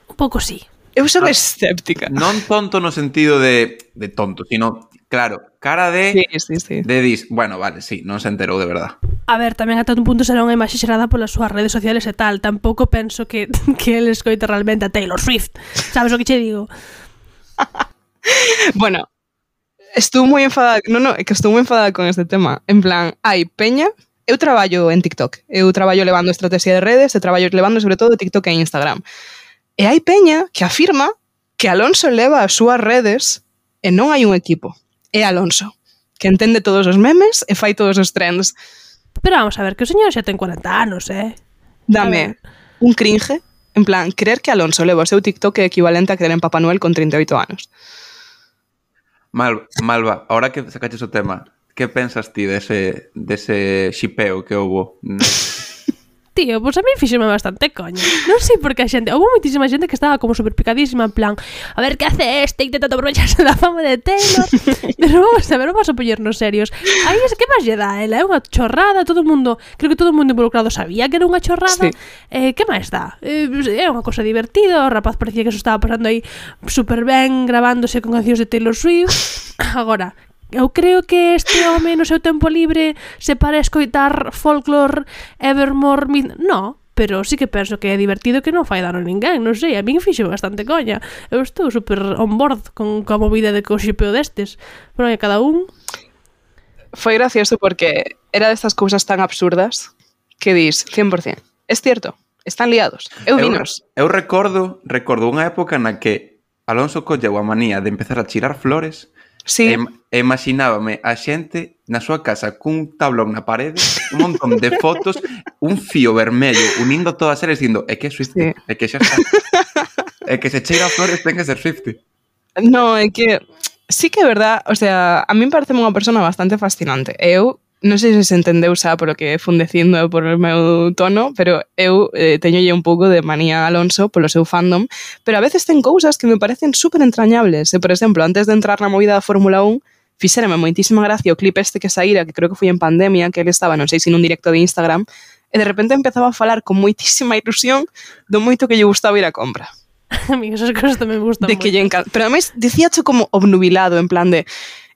Un pouco sí. Eu son escéptica. Non tonto no sentido de tonto, sino, claro, cara de... Sí. De dis, bueno, vale, sí, non se enterou de verdad. A ver, tamén ata un punto será unha imaxe xerada polas súas redes sociales e tal. Tampouco penso que ele escoita realmente a Taylor Swift. Sabes o que che digo? Bueno, estou moi enfadada. É que estou moi enfadada con este tema. En plan, hai peña... Eu traballo en TikTok. Eu traballo levando estrategia de redes e traballo levando sobre todo TikTok e Instagram. E hai peña que afirma que Alonso leva as súas redes e non hai un equipo. É Alonso, que entende todos os memes e fai todos os trends. Pero vamos a ver, que o señor xa ten 40 anos, Dame un cringe, en plan, creer que Alonso leva o seu TikTok é equivalente a creer en Papá Noel con 38 anos. Malva, ahora que sacaches o tema, que pensas ti dese xipeo que houbo? Tío, pois a mí fíxeme bastante coña. Non sei por que a xente, houve moitísima xente que estaba como super picadísima, en plan, a ver que hace intentando aprovecharse da fama de Taylor. Pero vamos a poñernos serios. Aí que máis lle dá ela? É unha chorrada, creo que todo o mundo involucrado sabía que era unha chorrada. Sí. Que máis dá? É unha cosa divertida, o rapaz parecía que se estaba pasando aí super ben gravándose con cancións de Taylor Swift. Agora, eu creo que este home no seu tempo libre se para escoitar folklore, Evermore, no, pero sí que penso que é divertido, que non fai dano a ninguén, non sei, a min fixe bastante coña. Eu estou super on board con a movida de coxipeo destes, pero cada un... Foi gracioso porque era destas cousas tan absurdas que dis 100%. Es cierto, están liados. Eu vinos. Eu recordo unha época na que Alonso colleu a manía de empezar a chirar flores. Sí. E imaginábame a xente na súa casa cun tablón na parede, un montón de fotos, un fío vermello unindo todas eles dicindo, é que é Swiftie, é que xa está. É que se cheira a flores ten que ser Swiftie. No, é que sí que é verdad, o sea, a mí parece unha persona bastante fascinante. Eu non sei se entendeu xa polo que fun dicindo por o meu tono, pero eu teñolle un pouco de manía a Alonso polo seu fandom, pero a veces ten cousas que me parecen super entrañables. Por exemplo, antes de entrar na movida da Fórmula 1, fixérame moitísima gracia o clip este que saíra, que creo que foi en pandemia, que ele estaba, non sei se nun directo de Instagram, e de repente empezaba a falar con moitísima ilusión do moito que lle gustaba ir a compra. A mí esas cosas tamén me gustan de que lle encanta. Pero además dicíacho como obnubilado, en plan de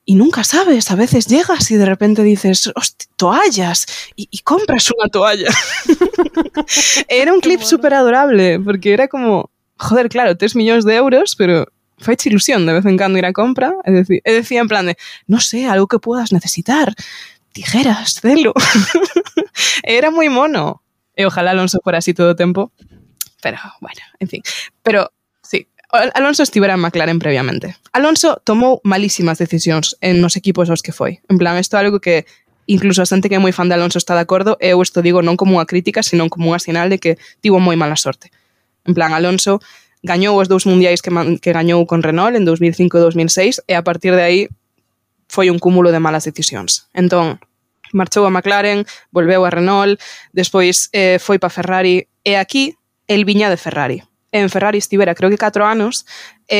y nunca sabes, a veces llegas y de repente dices, hostia, toallas, y compras una toalla. Era un clip súper adorable, porque era como, joder, claro, 3 millóns de euros, pero faiche ilusión de vez en cando ir a compra, e decía en plan de, no sé, algo que puedas necesitar, tijeras, celo. Era moi mono. E ojalá Alonso fuera así todo o tempo, pero bueno, en fin. Pero sí, Alonso estivera en McLaren previamente. Alonso tomou malísimas decisións en nos equipos aos que foi. En plan, isto é algo que incluso a xente que é moi fan de Alonso está de acordo, e eu isto digo non como unha crítica, sino como unha sinal de que tivo moi mala sorte. En plan, Alonso gañou os 2 mundiais que gañou con Renault en 2005 e 2006, e a partir de aí foi un cúmulo de malas decisións. Entón, marchou a McLaren, volveu a Renault, despois foi pa Ferrari, e aquí el viña de Ferrari. En Ferrari estivera creo que 4 anos,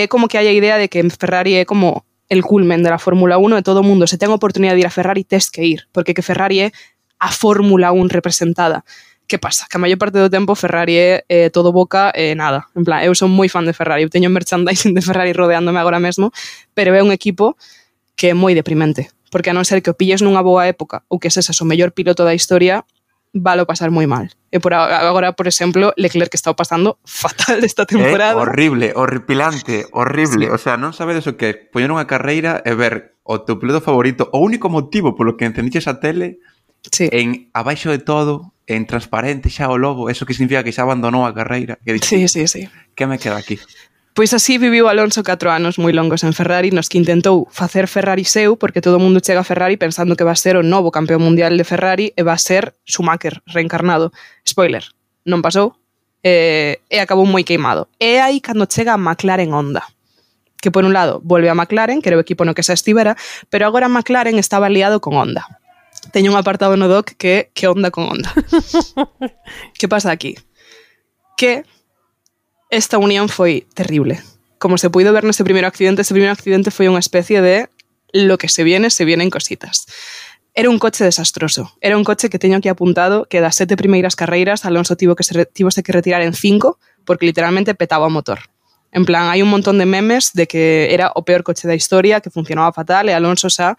como que hai a idea de que en Ferrari é como el culmen de la Fórmula 1 e todo o mundo, se ten a oportunidade de ir a Ferrari, tes que ir, porque que Ferrari é a Fórmula 1 representada. Que pasa? Que a maior parte do tempo Ferrari é todo boca e nada. En plan, eu son moi fan de Ferrari, eu teño merchandising de Ferrari rodeándome agora mesmo, pero é un equipo que é moi deprimente, porque a non ser que o pilles nunha boa época ou que seses o mellor piloto da historia, valo pasar moi mal. E por agora, por exemplo, Leclerc que está pasando fatal esta temporada. Horrible, horripilante, horrible. Sí. O sea, non sabedes o que é poñer unha carreira e ver o teu piloto favorito, o único motivo polo que encendiches a tele, sí, en abaixo de todo, en transparente xa o logo, eso que significa que xa abandonou a carreira. Que dices, sí. Que me queda aquí? Pois así viviu Alonso 4 anos moi longos en Ferrari, nos que intentou facer Ferrari seu, porque todo o mundo chega a Ferrari pensando que va a ser o novo campeón mundial de Ferrari e va a ser Schumacher reencarnado. Spoiler, non pasou e acabou moi queimado. E aí cando chega a McLaren Honda, que por un lado volve a McLaren, que era o equipo no que xa estivera, pero agora McLaren estaba aliado con Honda. Teño un apartado no doc que Honda con Honda. Que pasa aquí? Que esta unión foi terrible. Como se puido ver neste primeiro accidente foi unha especie de lo que se vienen cositas. Era un coche desastroso. Era un coche que teño aquí apuntado que das 7 primeiras carreiras Alonso tivose que retirar en 5 porque literalmente petaba o motor. En plan, hai un montón de memes de que era o peor coche da historia, que funcionaba fatal e Alonso xa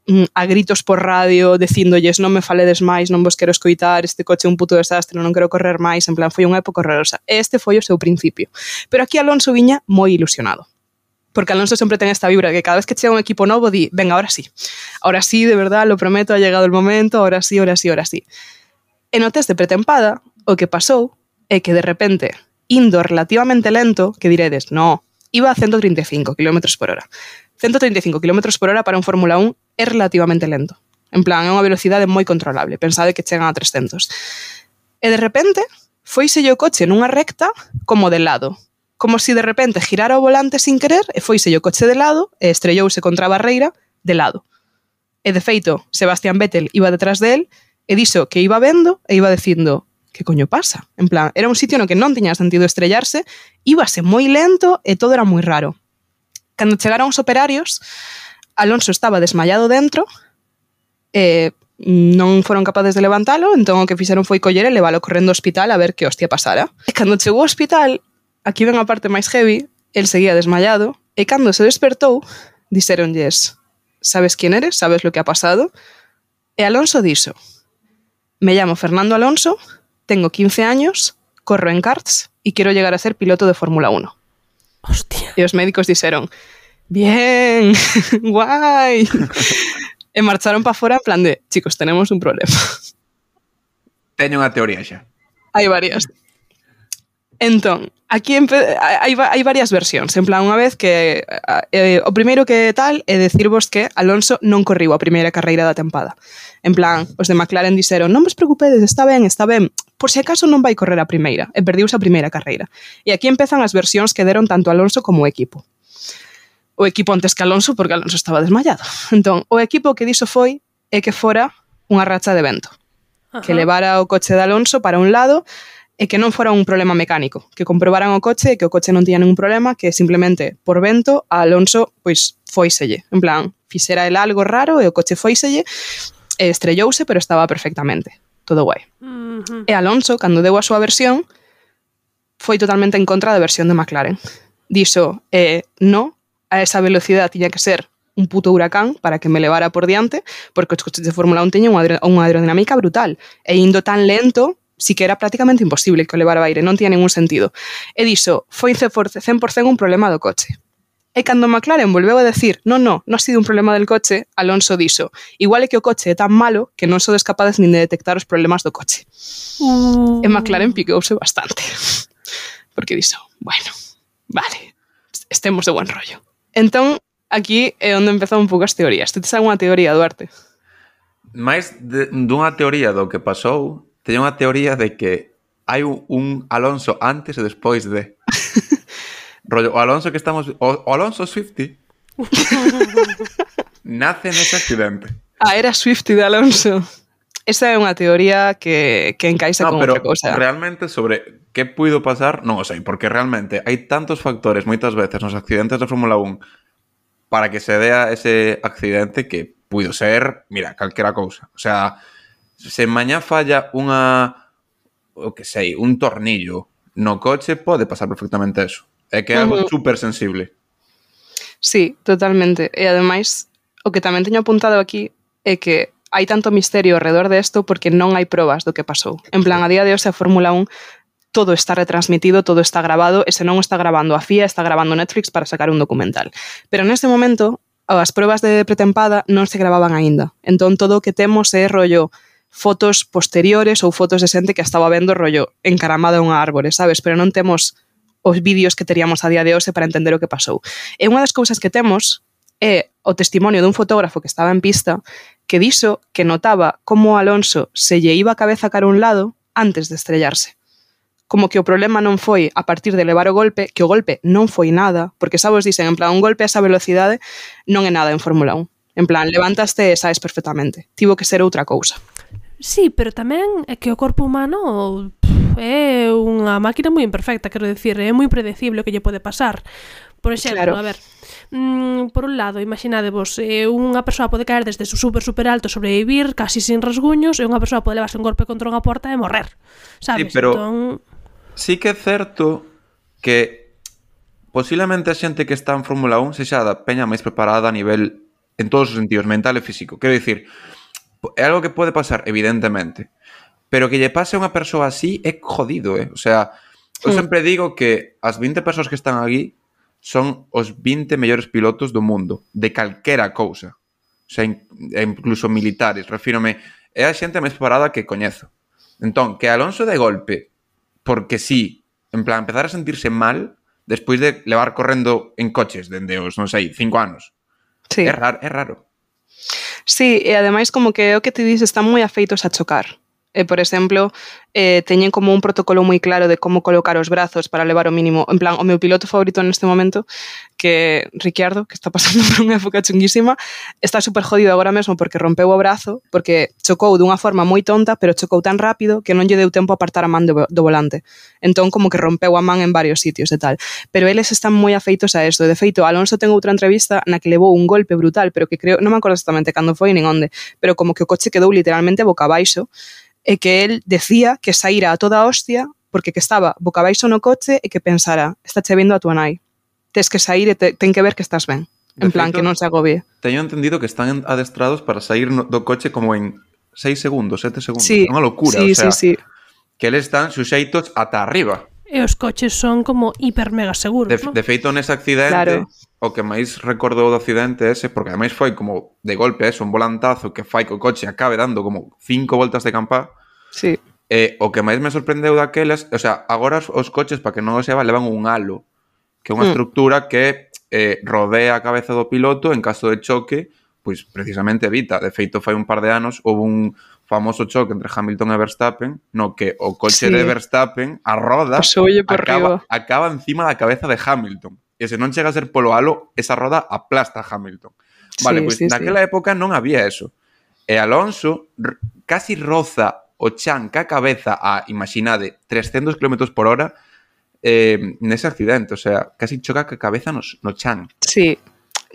a gritos por radio dicindolles non me faledes máis, non vos quero escoitar, este coche é un puto desastre, non quero correr máis, en plan, foi unha época horrorosa. Este foi o seu principio. Pero aquí Alonso viña moi ilusionado. Porque Alonso sempre ten esta vibra que cada vez que chega un equipo novo di, venga, ahora sí, de verdad, lo prometo, ha llegado el momento, ahora sí. En o test de pretempada, o que pasou é que de repente, indo relativamente lento, que diredes, no, iba a 135 km por hora. 135 km por hora para un Fórmula 1 é relativamente lento. En plan, é unha velocidade moi controlable. Pensade que chegan a 300. E de repente, foiselle o coche nunha recta como de lado. Como si de repente girara o volante sin querer e foiselle o coche de lado e estrellouse contra a barreira de lado. E de feito, Sebastian Vettel iba detrás de él e dixo que iba vendo e iba dicindo que coño pasa? En plan, era un sitio no que non tiña sentido estrellarse, íbase moi lento e todo era moi raro. Cando chegaron os operarios, Alonso estaba desmayado dentro e non foron capaces de levantalo, entón o que fixeron foi coller e levalo correndo ao hospital a ver que hostia pasara. E cando chegou ao hospital, aquí ven a parte máis heavy, el seguía desmayado e cando se despertou, dixeronlles, sabes quién eres? Sabes lo que ha pasado? E Alonso dixo, me llamo Fernando Alonso, tengo 15 años, corro en karts e quero llegar a ser piloto de Fórmula 1. Hostia. E os médicos dixeron, bien, guai. E marcharon para fora en plan de, chicos, tenemos un problema. Teño unha teoría xa. Hai varias. Entón, aquí hai varias versións. En plan, unha vez que o primeiro que tal é decirvos que Alonso non corriu a primeira carreira da tempada. En plan, os de McLaren dixeron non vos preocupedes, está ben, por se acaso non vai correr a primeira, e perdiuse a primeira carreira. E aquí empezan as versións que deron tanto Alonso como o equipo. O equipo antes que Alonso, porque Alonso estaba desmayado. Entón, o equipo que dixo foi é que fora unha racha de vento. Que levara o coche de Alonso para un lado e que non fora un problema mecánico, que comprobaran o coche e que o coche non tiña ningún problema, que simplemente por vento a Alonso pois foiselle, en plan, fixera el algo raro e o coche foiselle e estrellouse, pero estaba perfectamente, todo guai. E Alonso, cando deu a súa versión, foi totalmente en contra da versión de McLaren. Dixo, no, a esa velocidade tiña que ser un puto huracán para que me levara por diante, porque os coches de Fórmula 1 teñen unha aerodinámica brutal, e indo tan lento, sí que era prácticamente imposible que o levara ao aire, non tiña ningún sentido. E dixo, foi 100% un problema do coche. E cando McLaren volveu a decir, non ha sido un problema del coche, Alonso dixo, igual é que o coche é tan malo que non sodes capazes nin de detectar os problemas do coche. E McLaren picouse bastante. Porque dixo, bueno, vale, estemos de buen rollo. Entón, aquí é onde empezou un pouco as teorías. Ti tes algunha teoría, Duarte? Mais dunha teoría do que pasou, teño unha teoría de que hai un Alonso antes e despois de. Rollo, o Alonso que estamos... O Alonso Swiftie nace nese accidente. Era Swiftie de Alonso. Esa é unha teoría que encaixa con outra cousa. Realmente sobre que puido pasar, non o sei, porque realmente hai tantos factores moitas veces nos accidentes da Fórmula 1 para que se dea ese accidente que puido ser, mira, calquera cousa. O sea, se mañá falla un tornillo no coche, pode pasar perfectamente eso. É que é algo super sensible. Sí, totalmente. E ademais, o que tamén teño apuntado aquí é que hai tanto misterio alrededor de isto porque non hai probas do que pasou. En plan, a día de hoxe a Fórmula 1 todo está retransmitido, todo está grabado, e se non está grabando a FIA, está grabando Netflix para sacar un documental. Pero neste momento, as probas de pretempada non se gravaban aínda. Entón, todo o que temos é rollo fotos posteriores ou fotos de xente que estaba vendo rollo encaramada a unha árbore, sabes? Pero non temos os vídeos que teríamos a día de hoxe para entender o que pasou. E unha das cousas que temos é o testimonio dun fotógrafo que estaba en pista que dixo que notaba como Alonso se lle iba a cabeza cara a un lado antes de estrellarse. Como que o problema non foi a partir de levar o golpe, que o golpe non foi nada, porque sabes, dicen, en plan, un golpe a esa velocidade non é nada en Fórmula 1. En plan, levantaste e saes perfectamente. Tivo que ser outra cousa. Sí, pero tamén é que o corpo humano é unha máquina moi imperfecta, quero dicir, é moi predecible o que lle pode pasar. Por exemplo, a ver, por un lado, imaginadevos, unha persoa pode caer desde super alto, sobrevivir casi sin rasguños, e unha persoa pode levarse un golpe contra unha porta e morrer, sabes? Sí, pero sí que é certo que posiblemente a xente que está en Fórmula 1 sexa da peña máis preparada a nivel, en todos os sentidos, mental e físico. Quero dicir, é algo que pode pasar, evidentemente, pero que lle pase a unha persoa así é jodido, O sea, eu sempre digo que as 20 persoas que están aquí son os 20 mellores pilotos do mundo, de calquera cousa. O sea, incluso militares, refírome, é a xente máis preparada que coñezo. Entón, que Alonso de golpe, porque sí, en plan, empezar a sentirse mal despois de levar correndo en coches dende os, non sei, 5 anos. Sí. É raro. Sí, e ademais como que o que te dices están moi afeitos a chocar. Por exemplo, teñen como un protocolo moi claro de como colocar os brazos para levar o mínimo. En plan, o meu piloto favorito neste momento, que Ricciardo, que está pasando por unha época chunguísima, está super jodido agora mesmo porque rompeu o brazo, porque chocou dunha forma moi tonta, pero chocou tan rápido que non lle deu tempo a apartar a man do volante. Entón, como que rompeu a man en varios sitios e tal. Pero eles están moi afeitos a isto. De feito, Alonso ten outra entrevista na que levou un golpe brutal, pero que creo, non me acordo exactamente cando foi nin onde, pero como que o coche quedou literalmente boca abaixo, e que el decía que saíra a toda hostia porque que estaba boca abaixo no coche e que pensara, está che vendo a tua nai, tes que sair e ten que ver que estás ben, en plan, que non se agobie. Teño entendido que están adestrados para sair do coche como en 6 segundos, 7 segundos. Sí, é unha locura, sí, o sea, sí. Que eles están suxeitos ata arriba. E os coches son como hiper mega seguros, non? De feito, nese accidente, o que máis recordo do accidente ese, porque ademais foi como de golpe un volantazo que fai que o coche acabe dando como 5 voltas de campá. Sí. o que máis me sorprendeu daquelas, o sea, agora os coches, para que non o seba, levan un halo, que é unha estructura que rodea a cabeza do piloto en caso de choque, pois precisamente evita. De feito, fai un par de anos houve un famoso choque entre Hamilton e Verstappen, no que o coche de Verstappen, a roda, acaba encima da cabeza de Hamilton. E se non chega a ser polo halo, esa roda aplasta a Hamilton. Vale, pois naquela época non había eso. E Alonso casi roza o chan ca cabeza a, imaginade, 300 km por hora nese accidente. O sea, casi choca ca cabeza no chan. Sí.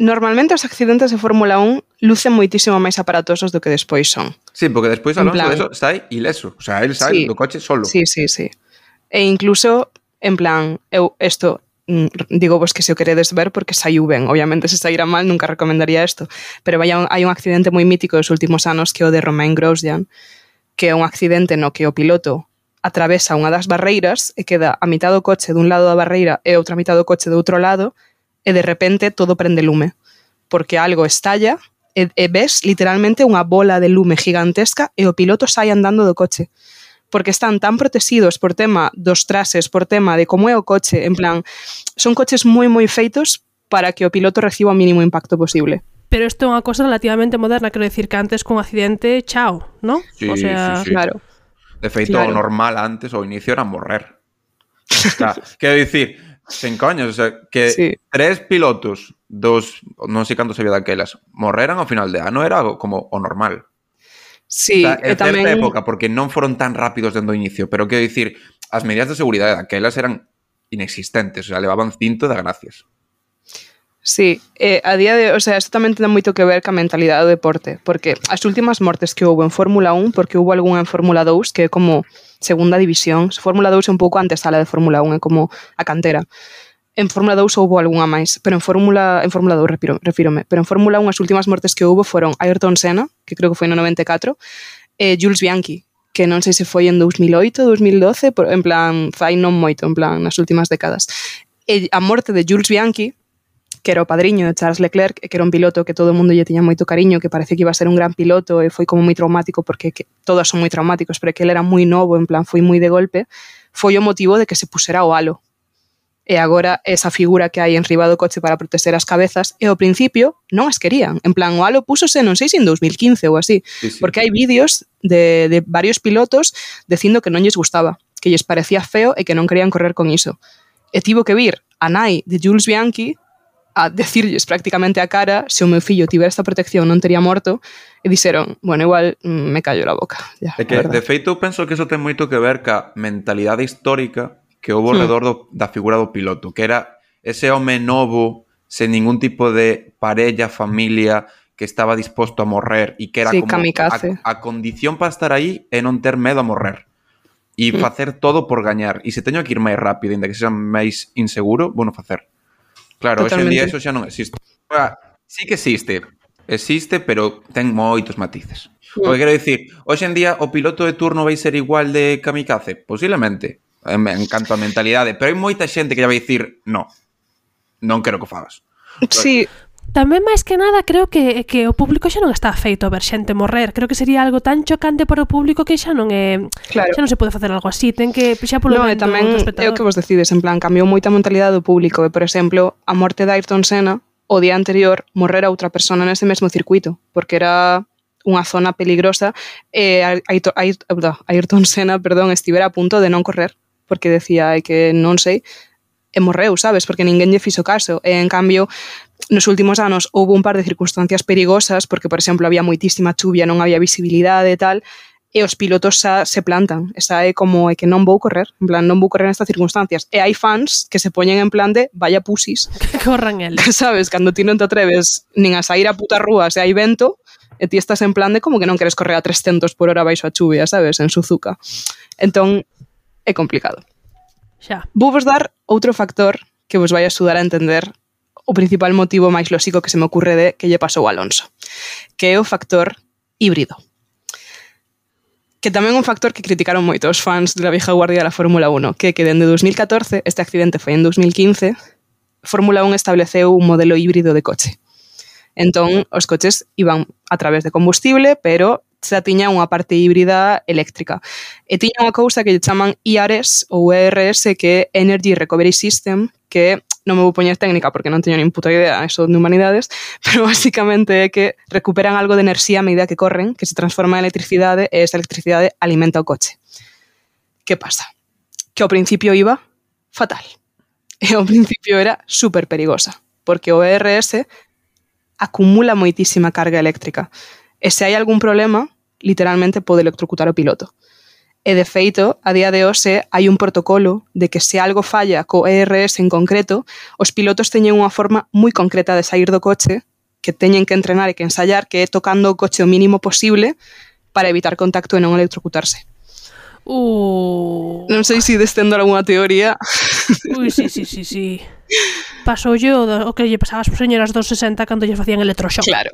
Normalmente os accidentes de Fórmula 1 lucen moitísimo máis aparatosos do que despois son. Sí, porque despois Alonso eso sai ileso. O sea, el sai do coche solo. Sí. E incluso, en plan, eu isto digo vos que se o queredes ver porque saiu ben. Obviamente, se saíra mal, nunca recomendaría isto. Pero hai un accidente moi mítico dos últimos anos que é o de Romain Grosjean, que é un accidente no que o piloto atravesa unha das barreiras e queda a mitad do coche dun lado da barreira e outra mitad do coche do outro lado, e de repente todo prende lume, porque algo estalla e ves literalmente unha bola de lume gigantesca e o piloto sai andando do coche, porque están tan protegidos por tema dos trases, por tema de como é o coche, en plan, son coches moi feitos para que o piloto reciba o mínimo impacto posible. Pero isto é unha cosa relativamente moderna, quero decir que antes con accidente, chao, ¿no? Sí, o sea, sí. Claro. De feito, o normal antes, ao inicio, era morrer. O sea, quero dicir, sen coños, o sea, que 3 pilotos non sei cantos había daquelas, morreran ao final de ano, era como o normal. Sí, o sea, en certa época, porque non foron tan rápidos dende o inicio, pero quero dicir, as medidas de seguridade daquelas eran inexistentes, o sea, levaban cinto de gracias. Sí, a día de, o sea, isto tamén ten moito que ver ca mentalidade do deporte, porque as últimas mortes que houve en Fórmula 1, porque houve algunha en Fórmula 2 que é como segunda división, Fórmula 2 é un pouco antesala de Fórmula 1, é como a cantera. En Fórmula 2 houve algunha máis, pero en Fórmula 2 refírome, pero en Fórmula 1 as últimas mortes que houve foron Ayrton Senna, que creo que foi no 94, e Jules Bianchi, que non sei se foi en 2008, 2012, en plan, fai non moito, en plan, nas últimas décadas. E a morte de Jules Bianchi, que era o padriño de Charles Leclerc, que era un piloto que todo o mundo lle tiña moito cariño, que parece que iba a ser un gran piloto e foi como moi traumático, porque todas son moi traumáticos, pero que ele era moi novo, en plan, foi moi de golpe, foi o motivo de que se pusera o halo. E agora esa figura que hai enriba do coche para proteger as cabezas, e ao principio non as querían. En plan, o halo púsose, non sei se en 2015 ou así, sí. Porque hai vídeos de varios pilotos dicindo que non lles gustaba, que lles parecía feo e que non querían correr con iso. E tivo que vir a nai de Jules Bianchi a decirlles prácticamente a cara se o meu fillo tivera esta protección non tería morto, e dixeron, bueno, igual me callo la boca. Ya, é que, de feito, penso que eso ten moito que ver ca mentalidade histórica que houve alrededor da figura do piloto, que era ese home novo, sen ningún tipo de parella, familia, que estaba disposto a morrer e que era como a condición para estar aí é non ter medo a morrer e facer todo por gañar, e se teño que ir máis rápido, ainda que sexa máis inseguro, bueno, facer. Claro, hoxe en día eso xa non existe. Sí que existe, pero ten moitos matices. O que quero dicir, hoxe en día o piloto de turno vai ser igual de kamikaze? Posiblemente, en canto a mentalidade, pero hai moita xente que já vai dicir non quero que o fagas. Sí. Tamén máis que nada creo que o público xa non está feito a ver xente morrer. Creo que sería algo tan chocante para o público que xa non é, claro. Xa non se pode facer algo así. Ten que xa polo menos tamén é o que vos decides, en plan, cambiou moita mentalidade do público. E, por exemplo, a morte de Ayrton Senna, o día anterior morrera outra persona nese mesmo circuito, porque era unha zona peligrosa e Ayrton Senna, estivera a punto de non correr, porque decía que non sei, e morreu, sabes? Porque ninguén lle fixo caso. E, en cambio, nos últimos anos houve un par de circunstancias perigosas, porque, por exemplo, había moitísima chuvia, non había visibilidade e tal, e os pilotos xa se plantan. Esa é como que non vou correr, en plan, non vou correr nestas circunstancias. E hai fans que se poñen en plan de vaya pusis. Que corran eles. Sabes? Cando ti non te atreves nin a sair a puta rúa se hai vento, e ti estás en plan de como que non queres correr a 300 por hora baixo a chuvia, sabes? En Suzuka. Entón, é complicado. Xa. Vou vos dar outro factor que vos vai axudar a entender o principal motivo máis lóxico que se me ocurre de que lle pasou a Alonso, que é o factor híbrido. Que tamén é un factor que criticaron moito os fans de la vieja guardia da Fórmula 1, que dende 2014, este accidente foi en 2015, Fórmula 1 estableceu un modelo híbrido de coche. Entón, os coches iban a través de combustible, pero xa tiña unha parte híbrida eléctrica. E tiña unha cousa que lle chaman ERS ou ERS, que é Energy Recovery System, que non me vou poñer técnica porque non teño nin puta idea eso de humanidades, pero basicamente é que recuperan algo de enerxía a medida que corren, que se transforma en electricidade e esa electricidade alimenta o coche. Que pasa? Que ao principio iba fatal. E ao principio era super perigosa, porque o ERS acumula moitísima carga eléctrica. E se hai algún problema, literalmente pode electrocutar o piloto. E de feito, a día de hoxe hai un protocolo de que se algo falla co ERS en concreto, os pilotos teñen unha forma moi concreta de sair do coche, que teñen que entrenar e que ensayar, que é tocando o coche o mínimo posible para evitar contacto e non electrocutarse. Non sei se destendo algunha teoría. Ui, sí. Pasoulle o que lle pasaba ás señoras dos 60 cando lle facían electroshock. Claro.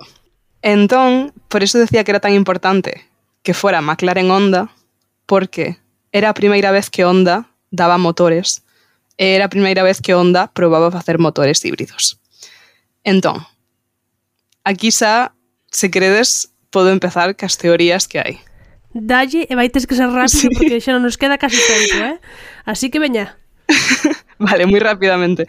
Entón, por eso decía que era tan importante que fora McLaren Honda, porque era a primeira vez que Honda daba motores e era a primeira vez que Honda probaba facer motores híbridos. Entón, aquí xa, se queredes, podo empezar cas teorías que hai. Dalle e vai tes que ser rápido, sí, porque xa non nos queda casi tempo, Así que veña. Vale, moi rapidamente.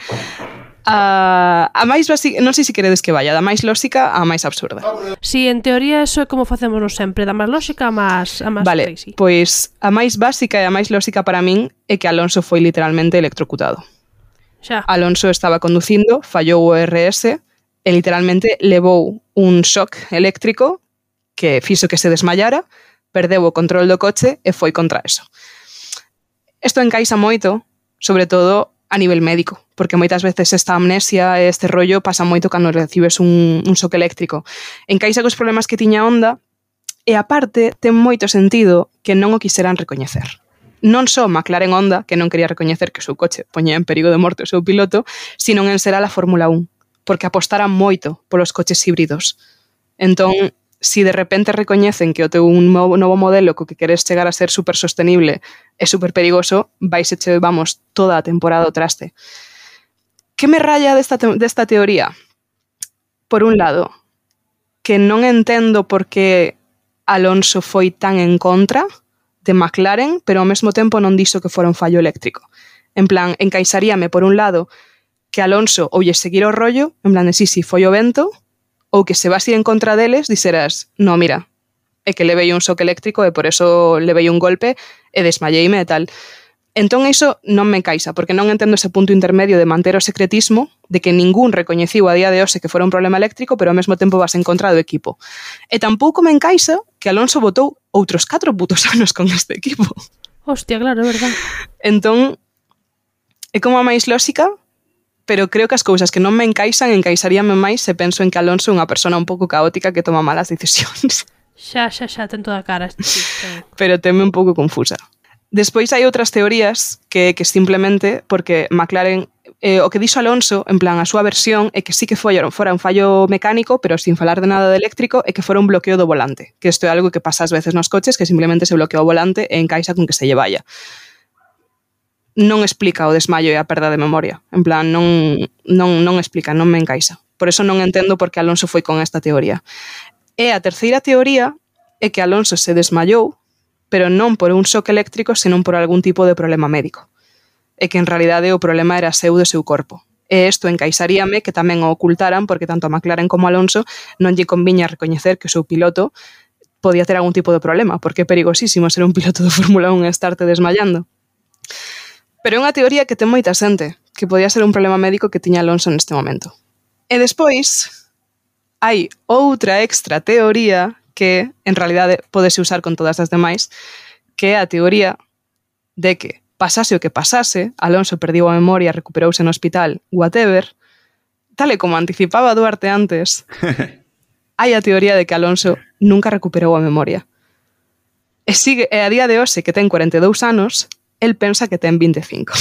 A máis básica, non sei se queredes que vaya, da máis lóxica a máis absurda. Si, en teoría eso é como facemos sempre, da máis lóxica a máis vale, crazy. Pois a máis básica e a máis lóxica para min é que Alonso foi literalmente electrocutado. Xa. Alonso estaba conducindo, fallou o ERS e literalmente levou un shock eléctrico que fixo que se desmayara, perdeu o control do coche e foi contra eso. Isto encaixa moito, sobre todo a nivel médico, porque moitas veces esta amnesia e este rollo pasa moito cando recibes un shock eléctrico. Encaixa cos problemas que tiña Honda e, aparte, ten moito sentido que non o quixeran recoñecer. Non só McLaren Honda, que non quería recoñecer que o seu coche poñía en perigo de morte o seu piloto, sino en ser a la Fórmula 1, porque apostaran moito polos coches híbridos. Entón, si de repente recoñecen que o teu novo modelo co que queres chegar a ser super sostenible é super perigoso, vais e vamos toda a temporada ao traste. Que me raya desta teoría? Por un lado, que non entendo por que Alonso foi tan en contra de McLaren, pero ao mesmo tempo non dixo que fora un fallo eléctrico. En plan, encaixaríame por un lado que Alonso ou lle seguir o rollo, en plan de sí, foi o vento, ou que se vas ir en contra deles, dixeras, no, mira, é que levei un shock eléctrico e por eso levei un golpe e desmayeime e tal. Entón iso non me encaixa, porque non entendo ese punto intermedio de manter o secretismo, de que ningún recoñeciu a día de hoxe que fora un problema eléctrico, pero ao mesmo tempo vas en contra do equipo. E tampouco me encaixa que Alonso botou outros 4 putos anos con este equipo. Hostia, claro, é verdad. Entón, é como a máis lóxica, pero creo que as cousas que non me encaixaríame máis se penso en que Alonso é unha persona un pouco caótica que toma malas decisións. Xa, ten toda a cara. Sí, pero teme un pouco confusa. Despois hai outras teorías que simplemente, porque McLaren, o que dixo Alonso, en plan, a súa versión, é que sí que fora un fallo mecánico, pero sin falar de nada de eléctrico, é que fora un bloqueo do volante. Que isto é algo que pasa ás veces nos coches, que simplemente se bloquea o volante e encaixa con que se lle vaya. Non explica o desmaio e a perda de memoria. En plan, non explica, non me encaixa. Por eso non entendo por que Alonso foi con esta teoría. E a terceira teoría é que Alonso se desmayou, pero non por un shock eléctrico, senón por algún tipo de problema médico. E que en realidade o problema era seu do seu corpo. E isto encaixaríame que tamén o ocultaran, porque tanto a McLaren como a Alonso non lle conviña recoñecer que o seu piloto podía ter algún tipo de problema, porque é perigosísimo ser un piloto de Fórmula 1 e estarte desmayando. Pero é unha teoría que ten moita xente, que podía ser un problema médico que tiña Alonso neste momento. E despois, hai outra extra teoría que, en realidade, podese usar con todas as demais, que é a teoría de que, pasase o que pasase, Alonso perdiu a memoria, recuperouse no hospital, whatever, tal e como anticipaba Duarte antes, hai a teoría de que Alonso nunca recuperou a memoria. E a día de hoxe, que ten 42 anos, el pensa que ten 25.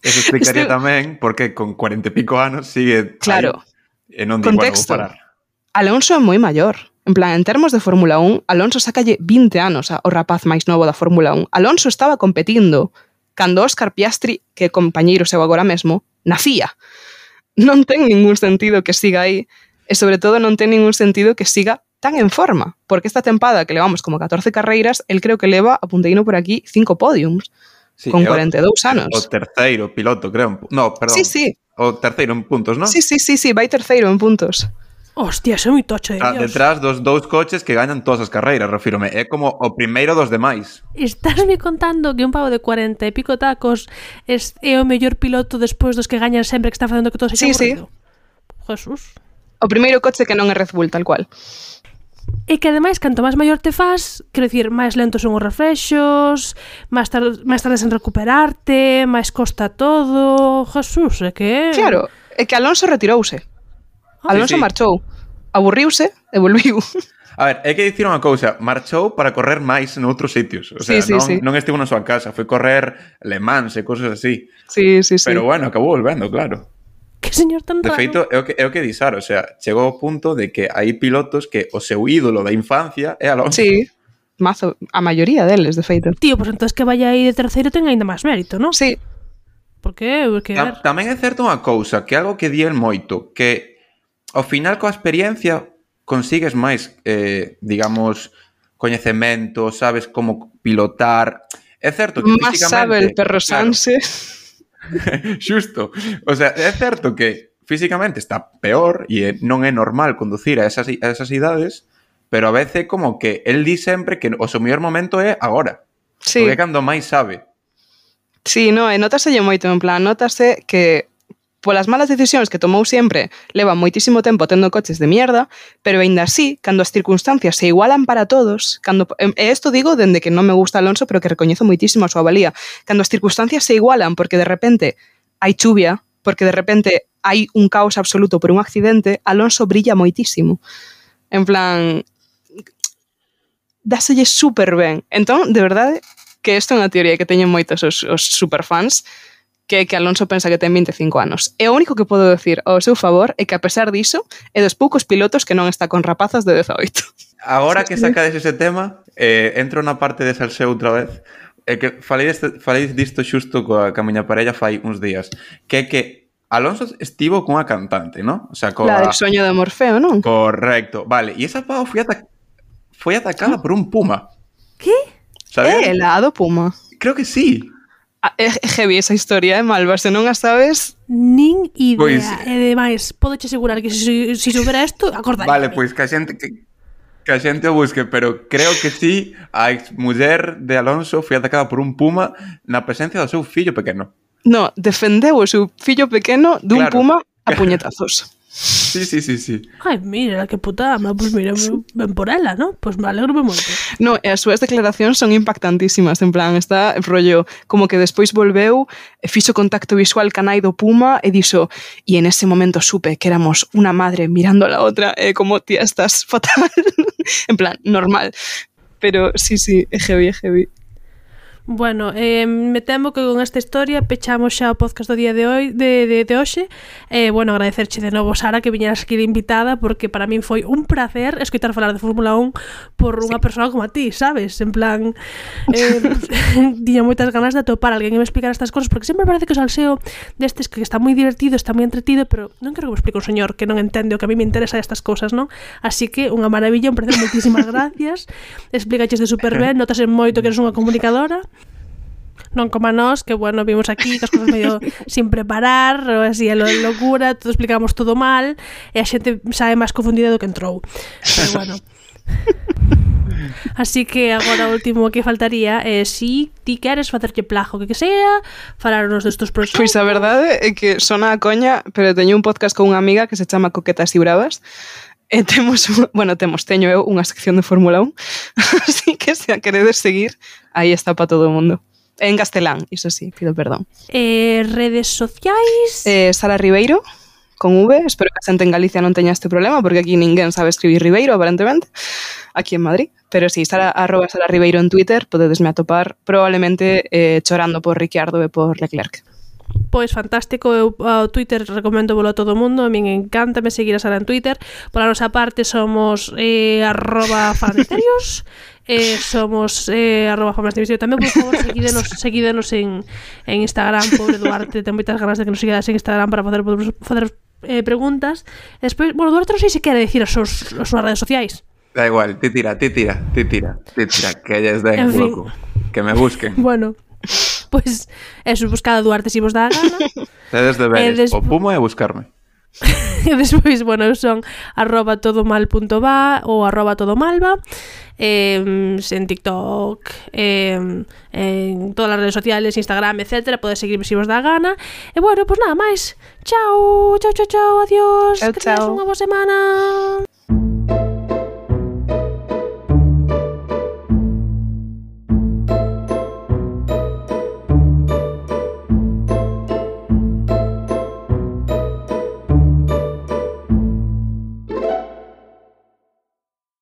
Eso explicaría tamén porque con 40 e pico anos sigue claro, aí, e non di, bueno, vou parar. Alonso é moi maior. En plan, en termos de Fórmula 1, Alonso sacalle 20 anos ao rapaz máis novo da Fórmula 1. Alonso estaba competindo cando Óscar Piastri, que é compañeiro seu agora mesmo, nacía. Non ten ningún sentido que siga aí, e sobre todo non ten ningún sentido que siga tan en forma, porque esta tempada que levamos como 14 carreiras, el creo que leva, apunteino por aquí, 5 podiums, sí, con 42 anos. O terceiro piloto, creo. No, perdón. Sí. O terceiro en puntos, non? Sí, vai terceiro en puntos. Hostia, é moi tocho de Dios. Detrás dos 2 coches que gañan todas as carreiras, refírome. É como o primeiro dos demais. Estás me contando que un pavo de 40 e pico tacos é o mellor piloto despois dos que gañan sempre, que está facendo que todo se aburrido? Jesús. O primeiro coche que non é Red Bull, tal cual. E que ademais, canto máis maior te faz, quero dicir, máis lentos son os reflexos, máis tardes en recuperarte, máis costa todo. Jesús, é que... Claro, é que Alonso retirouse. Alonso marchou, aburriuse e volviu. A ver, hai que dicir unha cousa, marchou para correr máis noutros sitios. O sea, non estivo na súa casa, foi correr Le Mans e cousas así. Sí. Pero bueno, acabou volvendo, claro. Que señor tan raro. De feito, é o que disar, o sea, chegou ao punto de que hai pilotos que o seu ídolo da infancia é Alonso. Sí, mazo, a maioría deles, de feito. Tío, pois entón que vaya aí de terceiro ten ainda máis mérito, non? Sí. Por que? Tamén é certo unha cousa, que algo que di el moito, que ao final coa experiencia consigues máis, digamos, coñecemento, sabes como pilotar. É certo que más físicamente... sabe el perro Sanse. Xusto. O sea, é certo que físicamente está peor e non é normal conducir a esas idades, pero a veces como que el di sempre que o seu mellor momento é agora. Sí. Porque cando máis sabe. Sí, no, e notáselle moito, en plan, notase que polas malas decisións que tomou sempre, leva moitísimo tempo tendo coches de mierda, pero aínda así, cando as circunstancias se igualan para todos, e isto digo dende que non me gusta Alonso, pero que recoñezo moitísimo a súa valía, cando as circunstancias se igualan porque de repente hai chuvia, porque de repente hai un caos absoluto por un accidente, Alonso brilla moitísimo. En plan, dáselle super ben. Entón, de verdade, que isto é unha teoría que teñen moitos os superfans, que Alonso pensa que ten 25 anos. E o único que podo decir ao seu favor é que, a pesar diso, é dos poucos pilotos que non está con rapazas de 18. Agora que sacades ese tema, entro na parte de salseo outra vez. É que falei disto xusto coa miña parella fai uns días. Que é que Alonso estivo cunha cantante, ¿no? O sea, La del sueño de Morfeo, non? Correcto. Vale, e esa pava foi atacada por un puma. Que? Sabes? La do puma. Creo que sí. É heavy esa historia, Malva, se non a sabes... Nin idea, Pois... e demais, podo che asegurar que se soubera isto, acordaría. Vale, pois que a xente o busque, pero creo que sí, a exmuller de Alonso foi atacada por un puma na presencia do seu fillo pequeno. No, defendeu o seu fillo pequeno dun puma a puñetazos. Sí. Ai, mira, que puta ama, pois mira, ben por ela, ¿no? Pois me alegro moito. No, e as súas declaracións son impactantísimas, en plan, está rollo, como que despois volveu, fixo contacto visual ca nai do puma e dixo, e en ese momento supe que éramos unha madre mirando a la outra, como, tía, estás fatal. En plan, normal. Pero sí, é heavy. Bueno, me temo que con esta historia pechamos xa o podcast do día de hoxe. Bueno, agradecerche de novo, Sara, que viñeras aquí de invitada, porque para min foi un placer escoitar falar de Fórmula 1 por unha persona como a ti, sabes? En plan, tiña moitas ganas de atopar alguén que me explicara estas cosas, porque sempre parece que o salseo destes que está moi divertido, está moi entretido, pero non quero que me explique un señor que non entende o que a mí me interesa estas cosas, non? Así que unha maravilla, un placer, moitísimas gracias. Explicaches de super ben, notase moito que eres unha comunicadora. Non como a nós, que bueno, vimos aquí que as cosas medio sin preparar, ou así a locura, todo explicamos todo mal, e a xente sabe máis confundida do que entrou. Pero bueno. Así que agora o último que faltaría é si ti queres facerlle plajo que sea, falarnos destos proxectos. Pois a verdade é que sona a coña, pero teño un podcast con unha amiga que se chama Coquetas e Bravas. E teño eu unha sección de Fórmula 1, así que se a queredes seguir, aí está para todo o mundo. En castelán, iso sí, pido perdón. Redes sociais? Sara Ribeiro, con V. Espero que a xente en Galicia non teña este problema, porque aquí ninguén sabe escribir Ribeiro, aparentemente, aquí en Madrid. Pero sí, @Sara Ribeiro en Twitter, podedesme atopar, probablemente chorando por Ricciardo e por Leclerc. Pois fantástico, eu ao Twitter recomendo a todo o mundo, a min encántame seguir a Sara en Twitter. Por a nosa parte somos @fanmisterios, somos @fanmisterios tamén, por favor, seguídenos en Instagram. Pobre Duarte, ten moitas ganas de que nos sigades en Instagram para facer preguntas. E despois, bueno, Duarte non sei se quere dicir as súas redes sociais. Da igual, ti tira, que ellos den, En fin. loco. Que me busquen. Bueno, pois eso, buscada Duarte si vos dá a gana. Tedes deberes, des- o Puma e buscarme. E despois, bueno, eu son @todomal.va ou @todomalva en TikTok, en todas as redes sociales, Instagram, etc. Podes seguirme se vos dá a gana. E bueno, pois nada máis. Chao, adiós. Chao, Que tenes chao. unha boa semana.